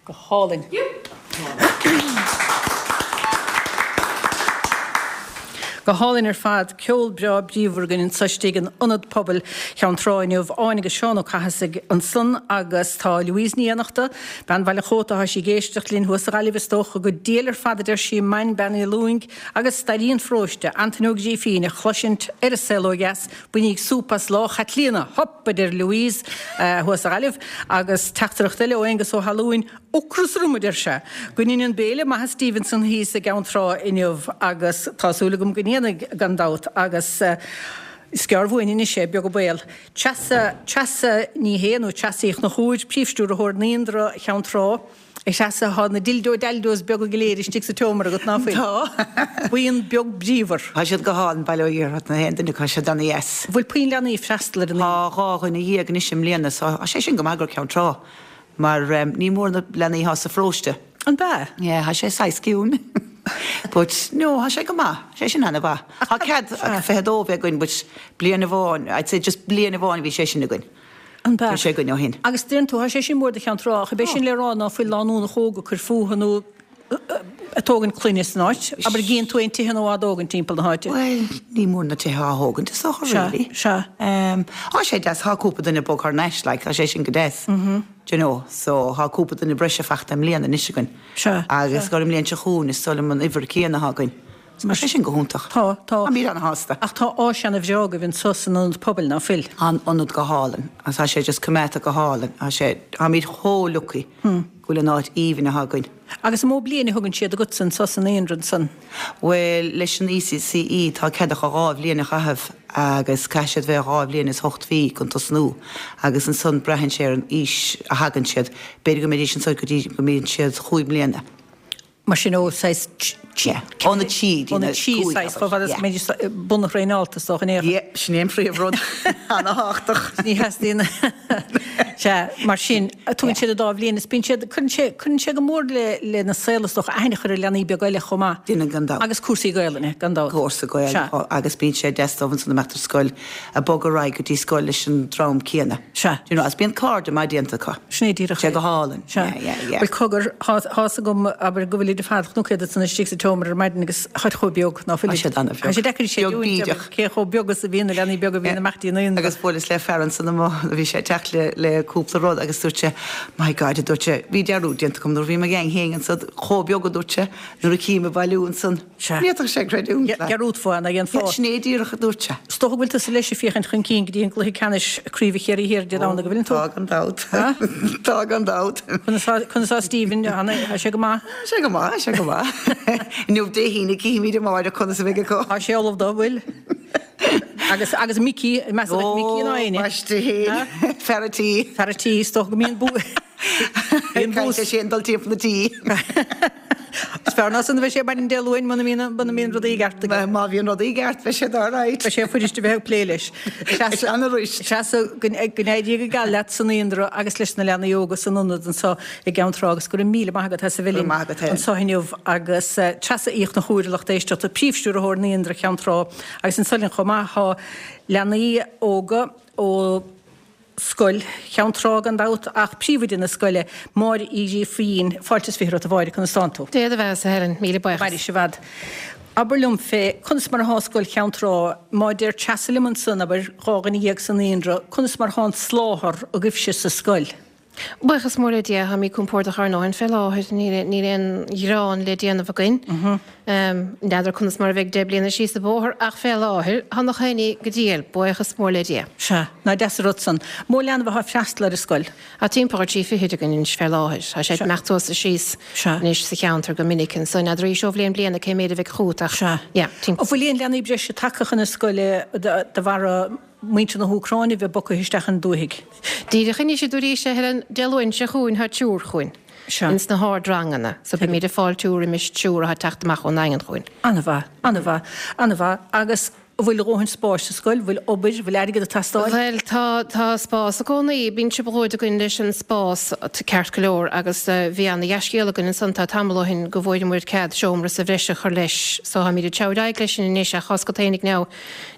Speaker 1: Go hálainn. Go hálainn ar fad. Ceol breá bríomhar againn anseo istigh in Ionad Pobail Cheann Trá inniu. Áine agus Seán Ó Cathasaigh ansan agus tá Louise Ní Fhiannachta, bean Bhaile Chóta, tá sí ag éisteacht linn thuas sa Ghaillimh is dócha. Go diail ar fad a deir sí, main Bean Uí Lúing agus stairí an pharóiste, Antaine Ó Grífín, a chloisint ar an saol ó dheas. Bainíg súp as Lá Chaitlíona! Hup! a deir Louise thuas sa Ghaillimh. Agus teachtaireacht eile ó Aengus Ó hAlúin, Ocras orm, a deir sé. Go ndéana an béile maith a Stevenson thíos i gCeann Trá inniu agus tá súil agam go ndéanfaidh gan dabht agus is gearr uainn anois é, beag an baol. Treasa, Treasa Ní Shé nó Treasa Uí Chonchúir, Príomhstiúrthóir Naíonra Cheann Trá. A Threasa, tá na dildo daldos beaga go léir istigh sa tseomra agat, ná fuil?
Speaker 10: Tá.
Speaker 1: Buíon beag bríomhar.
Speaker 10: Tá siad go hálainn, bail ó Dhia orthu, na haon duine acu, tá siad ana-dheas.
Speaker 1: Bhfuil puinn leanaí ag freastal ar an
Speaker 10: Tá 12 anois i mbliana so tá sé sin go maith do Ceann Trá. Mar ní mór na leanaí atá sa pharóiste.
Speaker 1: An b'ea?
Speaker 10: Yeah, tá sé saghas ciúin. But, no, tá sé go maith. Tá sé sin ana-mhaith. Tá cead 22 bheith againn but bliain amháin, I'd say just bliain amháin a bhí sé sin againn.
Speaker 1: An b'ea?
Speaker 10: Níl sé againn ó shin.
Speaker 1: Agus deireann tú, tá sé sin mór do Cheann Trá, ach ab é sin le rá ná fuil lánúnacha óga ag cur fúthu nó ag tógaint clainne san áit? Abair, gcíonn tú aon tithe nua á dtógaint timpeall na háite?
Speaker 10: Bhuel, ní mór na tithe á thógaint is dócha, really.
Speaker 1: Sea, sea.
Speaker 10: Tá sé deas, tá cúpla duine ag bogadh thar n-ais, like, tá sé sin go deas. Do you know, so tá cúpla duine breise fachta i mbliana anois againn.
Speaker 1: Sea,
Speaker 10: Agus gur i mbliain seo chugainn is dóigh liom an uimhir céanna atá againn. Tá sé sin go hiontach.
Speaker 1: Tá, tá.
Speaker 10: Táimid ana-shásta.
Speaker 1: Ach tá áis ana-bhreá agaibh anseo san ionad pobail, ná fuil?
Speaker 10: Tá an ionad go hálainn agus tá sé just coimeádta go hálainn. Tá sé, táimid chomh lucky go bhfuil an áit aoibhinn atá againn.
Speaker 1: Agus an mó bliain a thugann siad agatsa anseo san naíonra ansan?
Speaker 10: Bhuel, leis an ECCE tá cead acu dhá bhliain a chaitheamh agus caithfidh siad bheith dhá bhliain is ocht mhí chun tosnú agus ansan braitheann sé ar an aois a thagann siad. B'fhéidir go mbeidís ansan go dtí go mbíonn siad chúig mbliana.
Speaker 1: Mar sin ó saghas.
Speaker 10: Yeah. Óna trí
Speaker 1: Óna trí saghas, chomh fada is go mbeidís bunthraenáilte is dócha in aon chor.
Speaker 10: Yeah, sin é an phríomhrud. Ana-thábhachtach.
Speaker 1: Ní theastaíonn. Sea, mar sin, tugann siad an dá bhliain is bíonn siad, cuireann sé, cuireann sé go mór le, lena saol is dócha, aithne a chur ar leanaí beaga eile chomh maith.
Speaker 10: Déanann gan dabht.
Speaker 1: Agus cúrsaí Gaelainne, gan dabht.
Speaker 10: Cúrsa Gaelainne,
Speaker 1: Sea.
Speaker 10: agus bíonn sé deas dóibh ansan imeacht ar scoil, ag bogadh ar aghaidh go dtí scoil leis an dream céanna.
Speaker 1: Sea.
Speaker 10: Do you know, agus bíonn cairde maith déanta acu.
Speaker 1: Sin é díreach
Speaker 10: é. Sé go hálainn.
Speaker 1: Sea.
Speaker 10: Yeah, yeah, yeah.
Speaker 1: Bhuel, cogar, tá fhios agam, abair, go bhfuilid ar fad, chonac iad ansan istigh sa tseomra ar maidin agus táid chomh beag ná fuilid.
Speaker 10: Tá siad an-bheag.
Speaker 1: Tá sé deacair a
Speaker 10: Beag
Speaker 1: chreidiúint,
Speaker 10: bídeach.
Speaker 1: abair, cé chomh beag is a bhíonn na leanaí beaga a bhíonn amach dtí an naíonra.
Speaker 10: Agus bhuaileas le fear ansan amuigh, bhí sé ag teacht le, le cúpla rud agus dúirt sé, my God, a dúirt sé, bhí dearúd déanta agam nuair a bhí mo gheaing féin ansan, chomh beag, a dúirt sé, nuair a chím ag bailiú ansan.
Speaker 1: Sea.
Speaker 10: Ní fhéadfadh sé creidiúint leat.
Speaker 1: Dhearúdfá ná dhéanfá.
Speaker 10: Sin é díreach a dúirt sé.
Speaker 1: Is dócha go bhfuil tusa leis ag féachaint chun cinn go dtí an gcluiche ceannais Craoibhe Chiarraí Thiar Dé Domhnaigh, an bhfuileann tú?
Speaker 10: Tá gan dabht. Tá gan dabht.
Speaker 1: Conas tá Stephen? Tá sé go maith?
Speaker 10: Tá sé go maith, tá sé go maith. Inniu Dé hAoine cífimid amáireach conas a bheidh acu.
Speaker 1: Tá sé ullamh dó, bhfuil? Agus agus Mickey, meas tú Mickey ná éinne?
Speaker 10: Ó, baiste féin. Fear a' tí.
Speaker 1: Fear a' tí, is dócha go mbíonn bú.
Speaker 10: Bíonn bús. Caithfidh sé dul timpeall na tí.
Speaker 1: Is fearr ná san a bheidh sé maidin Dé Luain muna mbíonn muna mbíonn rudaí i gceart aige.
Speaker 10: Má bhíonn rudaí i gceart beidh sé alright.
Speaker 1: Beidh sé fuirist a bheith ag plé leis.
Speaker 10: Seana-rist.
Speaker 1: Treasa, go n-éirí go geal leat sa naíonra agus leis na leanaí óga san ionad anseo i gCeann Trá agus go raibh míle maith agat as a bheith linn anseo inniu agus Treasa Uí Chonchúir a lucht éisteachta, Príomhstiúrthóir Naíonra Cheann Trá agus anseo linn chomh maith tá leanaí óga ó Scoil Cheann Trá gan dabht, ach príomhoide na scoile, Máire Uí Ghrífín. Fáilte is 20 romhat a Mháire, conas tánn tú?
Speaker 11: Dia do bheatha-sa, a Helen, míle buíochas.
Speaker 1: Mairis i bhfad. Abair liom fé, conas mar athá Scoil Cheann Trá, má deir Treasa liom ansan, abair, 12 dhuine sa naíonra, conas mar athá an soláthar agaibhse sa scoil?
Speaker 11: Buíochas mór le Dia, táimid compordach ár ndóthain fé láthair, níl aon ghearán le déanamh againn. N'fheadar conas mar a bheidh 10 bliana síos an bóthar ach fé láthair, tá nach éinne go diail, buíochas mór le Dia.
Speaker 1: Sea, nach deas an rud san. Mó leanbh athá ag freastal ar an scoil?
Speaker 11: Tá timpeall ar trí fichid againn anois fé láthair. Tá sé ag imeacht suas is síos anois sa cheantar go minic anso. N'fheadar arís ó bhliain bliana cé méid a bheidh chugat ach, yeah,
Speaker 1: timpeall. An bhfuil aon leanaí breise tagtha chun na scoile de bharra muintir na hÚcráine a bheith bogtha isteach chun dúthaigh.
Speaker 11: Díreach anois a dúraís, a Helen, Dé Luain seo chugainn tá triúr chugainn ins na hardranganna so beimid ag fáiltiú roimis triúr atá ag teacht amach ón nDaingean chugainn.
Speaker 1: An-mhaith, an-mhaith, an-mhaith. Agus an bhfuil a dhóthain spáis sa scoil, bhfuil obair, bhfuil airgead ag teastáil?
Speaker 11: Bhuel, tá, tá spás i gcónaí. Bíonn trioblóid againn leis an spás ceart go leor agus bhí ana-dhea-scéal againn ansan tá tamall ó shin go bhfuaireamar cead seomra sa bhreis a chur leis so táimid ag treabhadh ar aghaidh leis sin anois ach tá 's agat fhéinig now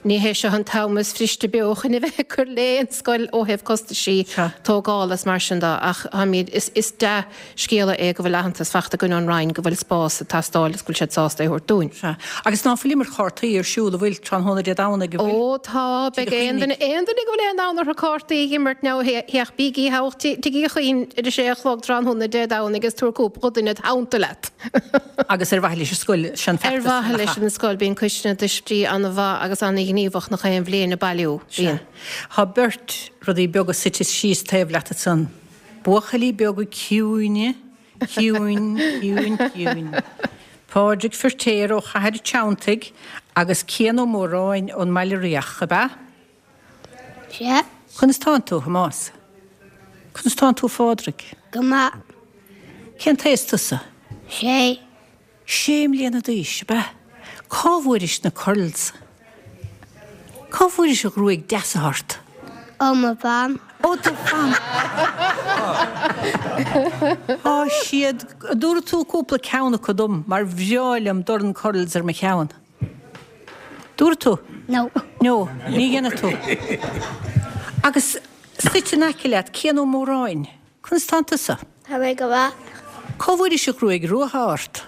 Speaker 11: Ní hé seo an t-am is fuiriste beo chun a bheith ag cur lé an scoil ó thaobh costaisí tógála is mar sin de ach táimid, is dea-scéala é go bhfuil aitheantas fachta againn ón Roinn go bhfuil spás ag teastáil agus go bhfuil siad sásta é a thabhairt dúinn.
Speaker 1: Sea. Agus ná fuil imirt chártaí ar siúl, an bhfuil, tráthnóna Dé Domhnaigh, an bhfuil?
Speaker 11: Ó tá, beidh aon duine, aon duine go bhfuil aon fhonn orthu cártaí a imirt now féach, bígí thall Tigh Uí Chuinn ar a sé a chlog tráthnóna Dé Domhnaigh agus tabhair cúpla duine id theannta leat.
Speaker 1: Agus ar mhaithe leis an scoil, sé an
Speaker 11: feachtas. Ar mhaithe leis an scoil, bíonn coiste na dtuistí an-mhaith agus an-ghníomhach nach aon bhliain ag bailiú. Bíonn.
Speaker 1: Tá beirt rudaí beaga suite síos taobh leat ansan. Buachaillí beaga ciúine, ciúin, ciúin, ciúin. Pádraig Firtéar ó Chathair Teanntaigh agus Cian Ó Móráin ón mBaile Riach, ab ea?
Speaker 12: Sea.
Speaker 1: Conas tánn tú, a Thomáis? Conas tánn tú, a Phádraig?
Speaker 12: Go maith.
Speaker 1: Cén t-aos tusa?
Speaker 12: Sé.
Speaker 1: Sé mbliana d'aois, ab ea? Cá bhfuairis na curls? Cá bhfuairis an ghruaig deas atá ort?
Speaker 12: Ó mo mham.
Speaker 1: Ó do mham! Tá siad, an dtabharfaidh tú cúpla ceann acu dom mar bhreá liom dorn curls ar mo cheann. Dtabharfaidh tú?
Speaker 12: No.
Speaker 1: No, ní dhéanfaidh tú. Agus suite in aice leat, Cian Ó Móráin, conas tánn tusa?
Speaker 12: Tá mé go maith.
Speaker 1: Cá bhfuairis an ghruaig rua atá ort?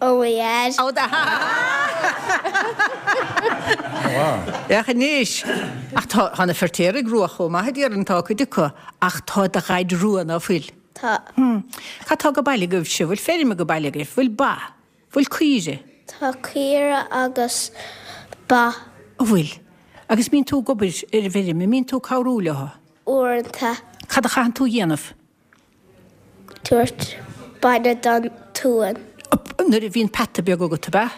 Speaker 12: Ó mo dhaid.
Speaker 1: Ó do Féach anois! Ach tá, tá na Feirtéaraigh rua chomh maith, a déarfainn, tá cuid acu, ach tá do dhaid rua, ná fuil?
Speaker 12: Tá.
Speaker 1: Hm. Cad tá age baile agaibhse? Bhfuil feirm age baile agaibh? Bhfuil ba? Bhfuil caoire?
Speaker 12: Tá caoire agus ba.
Speaker 1: An bhfuil? Agus mbíonn tú ag obair ar an bhfeirm, an mbíonn tú ag cabhrú leo?
Speaker 12: Uaireanta.
Speaker 1: Cad a chaitheann tú a dhéanamh?
Speaker 12: Tabhairt bainne don t-uan.
Speaker 1: Nuair a bhíonn peata beag agat, ab ea?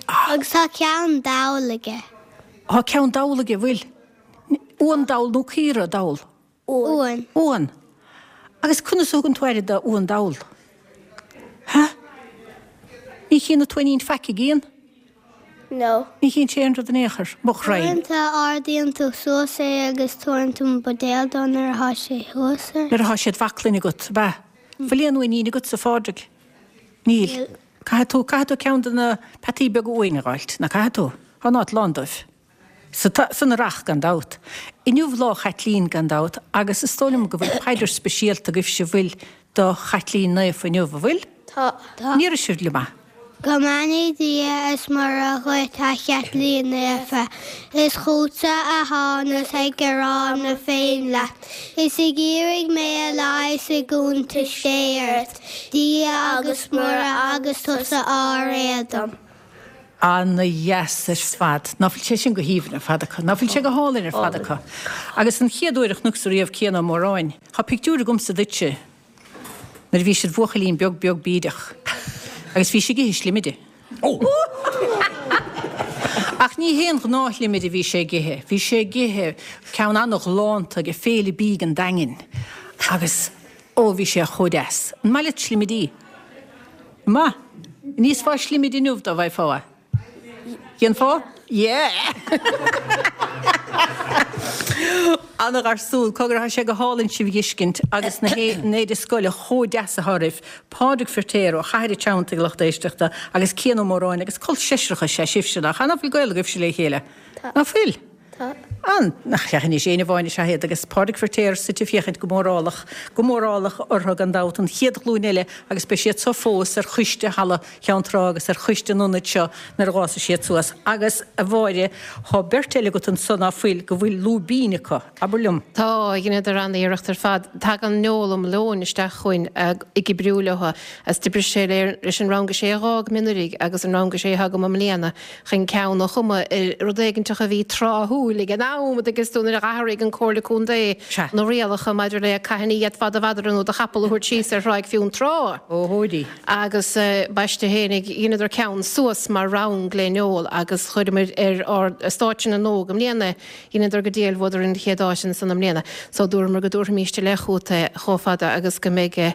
Speaker 12: Agus tá ceann dall aige.
Speaker 1: Tá ceann dall aige, bhfuil? Uan dall nó caora dall?
Speaker 12: Uan.
Speaker 1: Uan. Agus conas a thugann tú aire do uan dall? Ha? Ní chíonn an t-uainín faic, an gcíonn?
Speaker 12: No.
Speaker 1: Ní chíonn sé aon rud in aon chor. Mo ghraidhin.
Speaker 12: Uaireanta ardaíonn tú suas é agus tabharann tú an buidéal dó nuair atá sé thuas air.
Speaker 1: Nuair atá sé id bhaclainn agat, ab ea? Bhfuil aon uainín agatsa, a Phádraig? Níl.
Speaker 12: Níl.
Speaker 1: Caithfidh tú, caithfidh tú ceann de na peataí beaga uaine a dh'fháilt, ná caithfidh tú? Tá an áit lán dóibh. Sa, san earrach, gan dabht. Inniu Lá Chaitlín, gan dabht, agus is dóigh liom go bhfuil paidir speisialta agaibhse, bhfuil, do Chaitlín Naofa inniu, an bhfuil?
Speaker 12: Tá.
Speaker 1: An iarrfaidh sibh liom é?
Speaker 12: Go mbeannaí Dia is Muire dhuit, a Chaitlín Naofa. Is chútsa a thánas ag gearán na bhféinn leat. Is ag iarraidh mé a leigheas ag iontais Dé ort, Dia agus Muire agus tusa ár éadan.
Speaker 1: Ana-dheas ar fad. Ná fuil sé sin go haoibhinn ar fad acu? Ná fuil sé go hálainn ar fad acu? Agus an chéad uair a chonacsa riamh Cian Ó Móráin, tá pictiúr agamsa duitse, Nuair a bhís id bhuachaillín beag beag bídeach agus bhís ag ithe slimide. Ach ní haon ghnáthshlimide a bhí sé ag ithe, bhí sé ag ithe ceann ana-ghalánta ag Féile Bídh an Daingin agus ó bhí sé chomh deas. An maith leat slimidí? Maith. An íosfá slimide inniu dá bhfaighfeá é? Dhéanfá? Yeah! Ana-gharsún. Cogar, tá sé go hálainn sibh a dh'fheiscint agus na héide scoile chomh deas atá oraibh. Pádraig Firtéar ó Chathair an Treanntaigh, a lucht éisteachta, agus Cian Ó Móráin agus col seisreach is ea sibhse, nach ea? Ná fuil gaol agaibhse le chéile?
Speaker 12: Tá.
Speaker 1: Ná fuil?
Speaker 12: Tá.
Speaker 1: An, nach ea anois, éinne amháin is ea iad agus Pádraig Firtéar suite ag féachaint go mórálach, go mórálach orthu gan dabht, an chéad ghlúin eile agus beidh siad so fós ar choiste Halla Cheann Trá agus ar choiste an ionaid seo nuair a dh'fhásfaidh siad suas. Agus, a Mháire, thá beirt eile agat anso ná fuil, go bhfuil lúibín acu. Abair liom.
Speaker 11: Tá, dheineadar an-iarracht ar fad. Tagann Noel Ó Muilleoin isteach chugainn ag oibriú leo agus d'oibrigh sé leis an rang a sé a dh'fhág mé anuraidh agus an rang a sé atá agam i mbliana. chun ceann a chumadh ar rud éiginteach a bhí tráthúil ag an am, an dtuigeann tú, nuair a d'athraigh an Comhairle Contae na rialacha maidir le cathain a d'fhéadfá do mhadra nó do chapall a thabhairt síos ar Thráigh Fionn Trá.
Speaker 1: Ó hóidí.
Speaker 11: Agus b'aisteach fhéinig, dheineadar ceann suas mar rang le Noel agus chuireamar ar ár stáitse na nÓg i mbliana é. Dheineadar go diail, bhuadar an chéad áit ansan i mbliana. So dúramar go dtabharfaimíst i leith chugat é chomh fada agus go mbeidh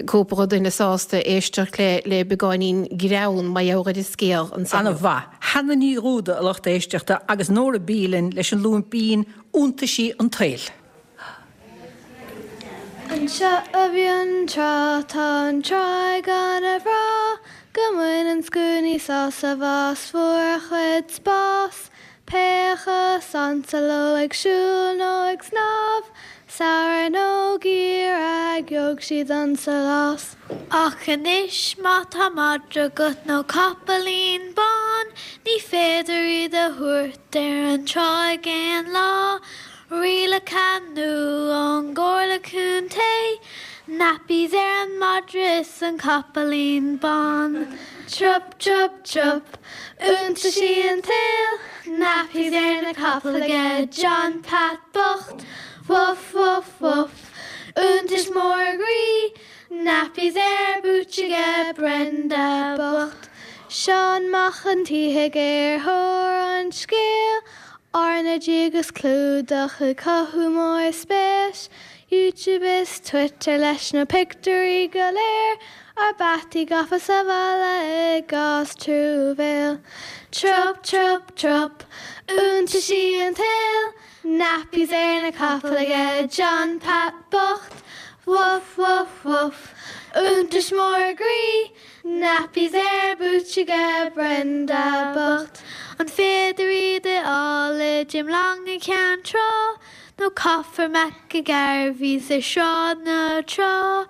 Speaker 11: cúpla duine sásta éisteacht le le beagáinín greann mar gheall ar an scéal ansan.
Speaker 1: Ana-mhaith. Hannah Ní Dhúda, a lucht éisteachta, agus Nóra B linn leis an lúibín Iontaisí an tSaoil.
Speaker 12: Anseo i bhFionntrá tá an tráigh ana bhreá go mbaineann scuainí sásamh as fuar a chuid spás. Pé acu is ansa leo ag siúl nó ag snámh, samhradh nó geimhreadh, gheobhaidh siad an sólás. Ach anois má tá madra agat nó capaillín bán, ní féidir iad a thabhairt ar an tráigh aon lá. Rialacha nua ón gComhairle Contae, nappies ar an madra is an capaillín bán. Trup, trup, trup, iontaisí an tsaoil, nappies ar na capaill aige John Pat bocht. Woof, woof, woof, iontais mór a gcroí, nappies ar boots aige Brenda bocht. Seán Mac an tSíthigh ar thóir an scéil, RnaG agus clúdach ag cothú mór spéis, YouTube is Twitter leis na pictiúirí go léir, ár bpeataí gafa sa bhalla i gcás truamhéil. Trup, trup, trup, iontaisí an tsaoil, nappies ar na capaill aige John Pat bocht. Woof, woof, woof, iontais mór a gcroí, Nappies ar boots aige Brenda bocht. An féidir iad a fháil i Jim Long i gCeann Trá? Nó caithfear McGarveys ar Shráid na Trá?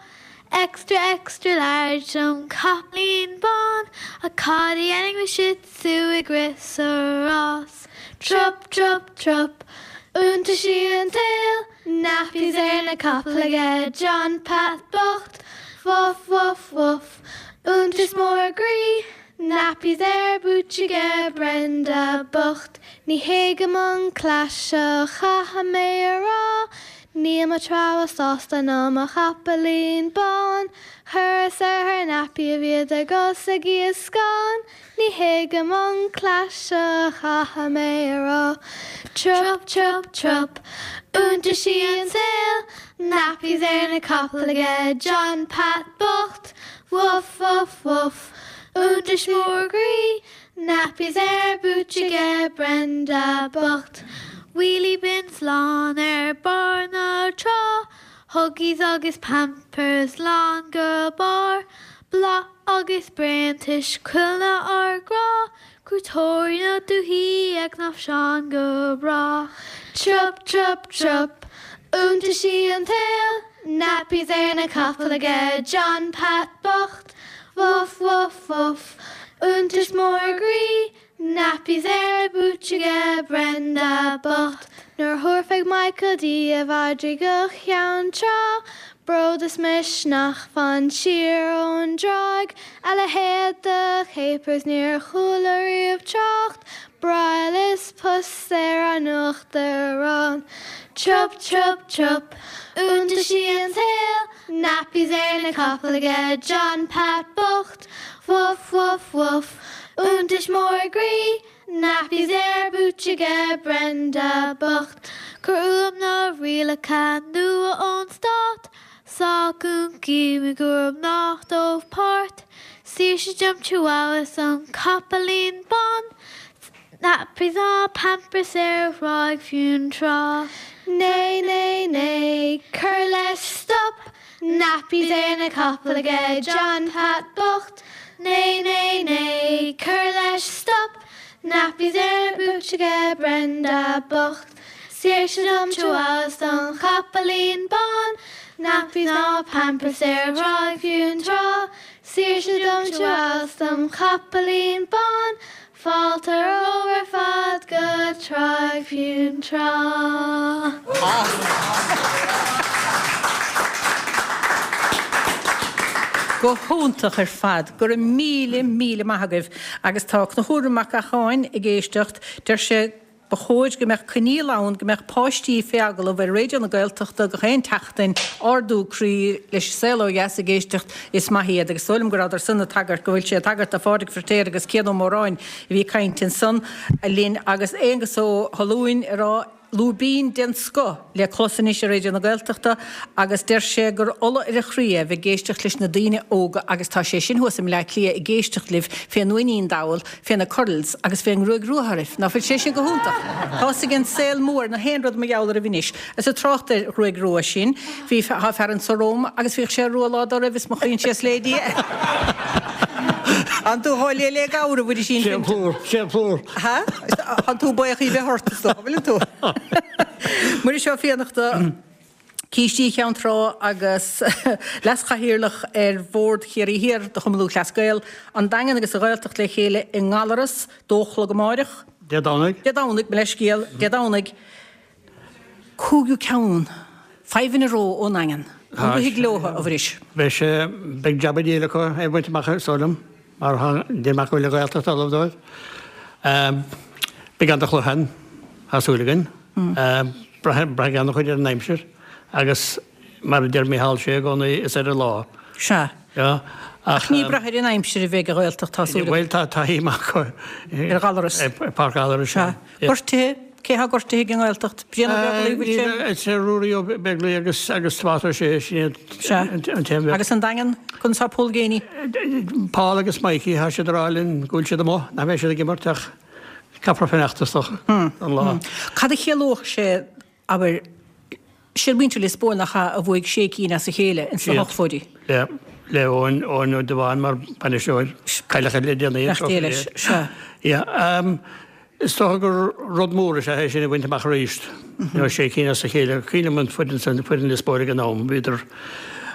Speaker 12: Extra extra large don chapaillín bán Ach cad a dhéanfaidh mo Shih Tzu ag rith sa rás? Trup trup trup, iontaisí an tsaoil, Nappies ar na capaill aige John Pat bocht. Woof woof woof, iontais mór a gcroí, Nappies ar boots aige Brenda bocht. Ní thuigim an cleas seo chaithfidh mé a rá, Níl mo threabhadh sásta ná mo chapaillín bán, Chuireas orthu nappy a bhíodar gus ag iascán. Ní thuigim an cleas seo chaithfidh mé a rá. Trup, trup, trup, iontaisí an tsaoil, nappies ar na capaill aige John Pat bocht. Woof, woof, woof, Iontais mór groí, Nappies ar boots aige Brenda bocht. Wheelie bins lán ar barr na trá, Huggies agus Pampers lán go barr, Bláth agus bréantais cuileanna ár ngrá, Cuairteoirí na dúichí ag cnáimhseán go breá. Trup, trup, trup, iontaisí an tsaoil, Nappies ar na capaill aige John Pat bocht. Woof, woof, woof, iontais mór groí, Nappies ar a boots aige Brenda bocht. Nuair a thabharfaidh Michael D a mhadraí go Ceann Trá, bród is misneach fan siar ón dtráigh, a leithéid de capers níor chuala riamh trácht, broil is pus ar an uachtarán. Trup, trup, trup, iontaisí an tsaoil, Nappies ar na capaill aige John Pat bocht, Woof, woof, woof, iontais mór groí, Nappies ar boots aige Brenda bocht. Cuir uaim na rialacha nua ón stát, Sách guncaí i gcúram nach dóibh páirt, Saoirse dom Chihuahua is an capaillín bán, Nappies ná Pampers ar Thráigh Fionntrá. Nay, nay, nay, cuir leis, stop! Nappies ar na capaill aige John Pat bocht. Nay, nay, nay, cuir leis, stop! Nappies ar boots aige Brenda bocht. Saoirse dom Chihuahua is don chapaillín bán. Nappies ná Pampers ar Thráigh Fionntrá. Saoirse dom Chihuahua is dom chapaillín bán. Fáilte romhaibh ar fad go Tráigh Fionntrá.
Speaker 1: Go hiontach ar fad. Go raibh míle, míle maith agaibh. Agus tá Conchúr Mac Eacháin ag éisteacht. Deir sé Ba chóir go mbeadh coinníoll ann go mbeadh páistí fé agallamh ar Raidió na Gaeltachta gach aon tseachtain, ardú croí leis an saol ó dheas ag éisteacht, is maith iad agus is dóigh liom go rabhadar san ag tagairt, go bhfuil sé ag tagairt do Phádraig Feirtéar agus Cian Ó Móráin a bhí ag caint ansan linn agus Aonghus Ó hAlúin ag rá lúibín den scoth le clos anois ar Raidió na Gaeltachta agus deir sé gur ola ar a chroí é bheith ag éisteacht leis na daoine óga agus tá sé sin thuas i mBleá Cliath ag éisteacht libh fén uainín dall fé na curls agus fén ngruaig rua oraibh. Ná fuil sé sin go hiontach? Tá's ag an saol mór na haon rud mar gheall oraibh anois. Is ag trácht ar ghruaig rua sin, bhí, tá fear anso romham agus bhíodh sé rua lá dá raibh is mo choinsias lé Dia. Tánn tú chomh liath le gabhar a Mhuirisín.
Speaker 13: Sé an plúr, sé an plúr.
Speaker 1: Ha? Tánn tú buíoch í bheith ort is dócha, bhfuileann tú? Muiris Ó Fiannachta. Cístí Cheann Trá agus Leas-Chathaoirleach ar Bhord Chiarraí Thiar de Chumann Lúthchleas Gael, An Daingean agus an Ghaeltacht le chéile i nGallaras, dó a chlog amáireach.
Speaker 13: Dé Domhnaigh.
Speaker 1: Dé Domhnaigh, mo leithscéal, Dé Domhnaigh, cúigiú ceann, five in a row ón nDaingean. An rithfidh leo, a Mhuiris?
Speaker 13: Beidh sé, beidh jab an diabhail acu é a bhaint amach, is dóigh liom, mar deir mé go bhfuil an Ghaeltacht ullamh dóibh. Beidh an-chluiche ann, tá súil againn. Braitheann an-chuid ar an aimsir agus mar a deir Micheál Sé i gcónaí, is ar an lá.
Speaker 1: Sea. Ach ní brath ar an aimsir a bheidh an Ghaeltacht, tá súil agam.
Speaker 13: Bhuel, tá taithí maith acu.
Speaker 1: Ar Ghallaras.
Speaker 13: I bPáirc Ghallarais,
Speaker 1: sea. Gortuithe? Cé atá gortaithe ag an nGaeltacht? Brian Ó Beaglaoich, bhfuil sé?
Speaker 13: Is é Ruairí Ó Beaglaoich agus agus Tomás Ó Sé, sin iad an t-aon bheirt.
Speaker 1: Agus an Daingean, conas tá Paul Geaney?
Speaker 13: Paul agus Mikey, tá siad ag rá linn go bhfuil siad amuigh, nach mbeidh siad ag imirt ach Caithfear fanacht is dócha don lá.
Speaker 1: Cad a chiallódh sé, abair, siad muintir Lios Póil nach ea a bhuaigh sé cinn as a chéile ins na hochtóidí?
Speaker 13: Le le Eoin Eoin Ó Dubháin mar bainisteoir, cailleadh le déanaí.
Speaker 1: Nach dé leis, sea.
Speaker 13: Yeah. Is dócha gur rud mór is ea é sin a bhaint amach arís. You know, sé cinn as a chéile. Cuimhin liom an foireann san, foireann Lios Póil ag an am, bhíodar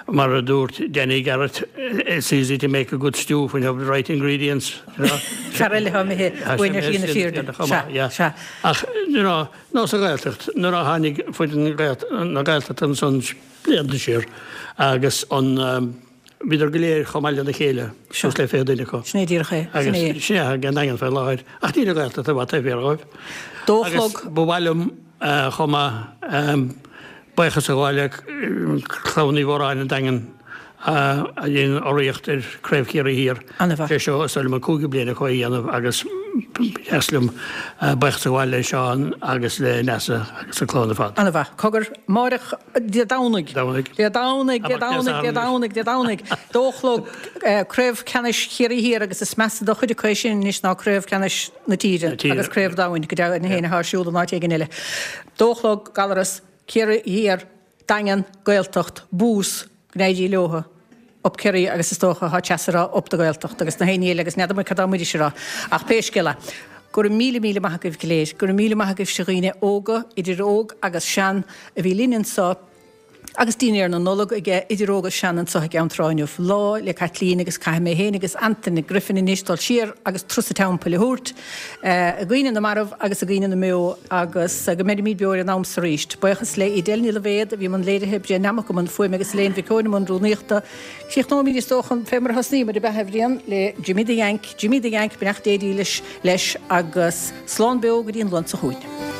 Speaker 13: Mar a dúirt Danny Garrett, it's easy to make a good stew when you have the right ingredients.
Speaker 1: Fear eile atá imithe uainn ar shlí na fírinne. Sea, sea.
Speaker 13: Ach, you know, nó sa Ghaeltacht, nuair a tháinig foireann na Gaeltachta ansan blianta siar agus an, bhíodar go léir chomh maith lena chéile, suas le 20 duine acu.
Speaker 1: Sin é díreach é.
Speaker 13: Sin é. Agus sin é ag an Daingean faoi láthair. Ach níl an Ghaeltacht i bhfad taobh thiar dhóibh.
Speaker 1: Dó a chlog.
Speaker 13: Agus ba mhaith liom chomh maith buíochas a ghabháil le Clann Uí Mhóráin an Daingean a dhein urraíocht ar Craobh Chiarraí Thiar.
Speaker 1: Ana-mhaith.
Speaker 13: Sé seo is dóigh liom an cúigiú bliain acu é a dhéanamh agus. Ba dheas liom buíochas a ghabháil le Seán agus le Neasa agus an clann ar fad.
Speaker 1: Ana-mhaith. Cogar, amáireach, Dé Domhnaigh.
Speaker 13: Domhnaigh.
Speaker 1: Dé Domhnaigh, Dé Domhnaigh, Dé Domhnaigh, Dé Domhnaigh. Dó a chlog, Craobh Ceannais Chiarraí Thiar agus is measa do chuid acu é sin anois ná Craobh Ceannais na tíre agus Craobh Domhain, go deimhin féin atá ar siúl in áit éigin eile. Dó a chlog, Gallarus, Ciarraí Thiar, Daingean, Gaeltacht, Bús, go n-éirí leotha, Up Kerry agus is dócha tá Treasa ag rá Up the Gaeltacht agus na héinne eile agus n'fheadar muid cad tá Muiris a rá. Ach pé scéal é, go raibh míle míle maith agaibh go léir, go raibh míle maith agaibhse a dhaoine óga, idir óg agus sean, a bhí linn anso agus dinnéar na Nollag aige idir óg agus sean anso i gCeann Trá inniu, Lá 'le Caitlín agus caithfidh mé féin agus Antaine Griffin anois dul siar agus turas an teampaill a thabhairt i gcuimhne na marbh agus i gcuimhne na mbeo agus go mbeirimid beo ar an am so arís. Buíochas le Edel Ní Loibhéad a bhí i mbun léirithe, Brian Nammock i mbun fuaime agus Elaine Mhic Eoin i mbun rúnaíochta. Críochnóimid is dócha fé mar a thosnaíomar, ab ea, a Bhriain, le Jimmy the Yank, Jimmy the Yank, beannacht Dé dílis leis agus slán beo go dtí an Luan seo chugainn.